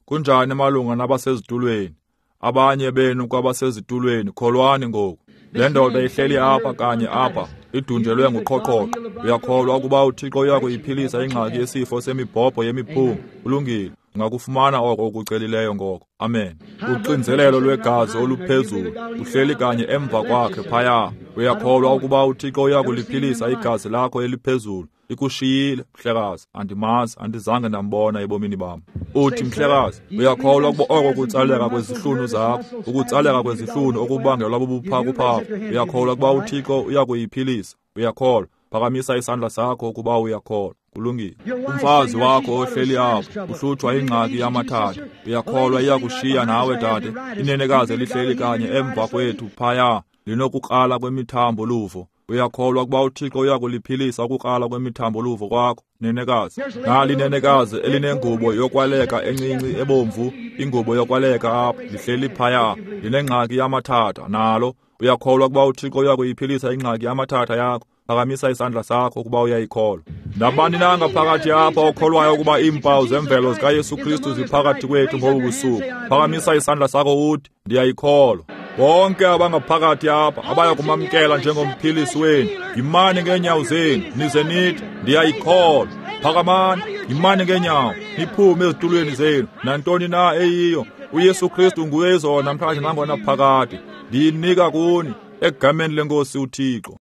Kunjani malunga nabasezitulweni? Abanye benu kwabasezitulweni, kholwani ngoku. Le ndoda ihleli apha kanye apha, idunjelwe nguqhoqhoqho. Uyakholwa ukuba uThixo uyakuyiphilisa ingxaki yesifo semibhobho yemiphunga? Kulungile. Ungakufumana oko ukucelileyo ngoko. Amen. Uxinzelelo lwegazi oluphezulu uhleli kanye emva kwakhe phaya. Uyakholwa ukuba uThixo uyakuliphilisa igazi lakho eliphezulu? Ikushiyile, mhlekazi. Andimazi, andizange ndambona ebomini bam. Uthi, mhlekazi, uyakholwa ukuba oko kutsaleka kwezihlunu zakho, ukutsaleka kwezihlunu okubangelwa bubuphakuphaku, uyakholwa ukuba uThixo uyakuyiphilisa? Uyakholwa? Phakamisa isandla sakho ukuba uyakholwa. Kulungile. Umfazi wakho ohleli apho uhlutshwa ingxaki yamathatha. Uyakholwa iyakushiya nawe dade? Inenekazi elihleli kanye emva kwethu phaya linokukrala kwemithambo luvo. Uyakholwa ukuba uThixo uyakuliphilisa ukukrala kwemithambo luvo kwakho, nenekazi? Nali nenekazi elinengubo yokwaleka encinci ebomvu, ingubo yokwaleka apha, lihleli phaya, linengxaki yamathatha nalo. Uyakholwa ukuba uThixo uyakuyiphilisa ingxaki yamathatha yakho? Phakamisa isandla sakho ukuba uyayikholwa. Nabani na ngaphakathi apha okholwayo ukuba iimpawu zemvelo zikaYesu Kristu ziphakathi kwethu ngobu busuku? Phakamisa isandla sakho uthi, ndiyayikholwa. Bonke abangaphakathi apha abaya kumamkela njengomphilisi wenu, yimani ngeenyawo zenu nize nithi, ndiyayikholwa. Phakamani, yimani ngeenyawo, niphume ezitulweni zenu. Nantoni na eyiyo, uYesu Kristu nguye izolo, namhlanje, nangona phakade. Ndiyinika kuni egameni leNkosi uThixo.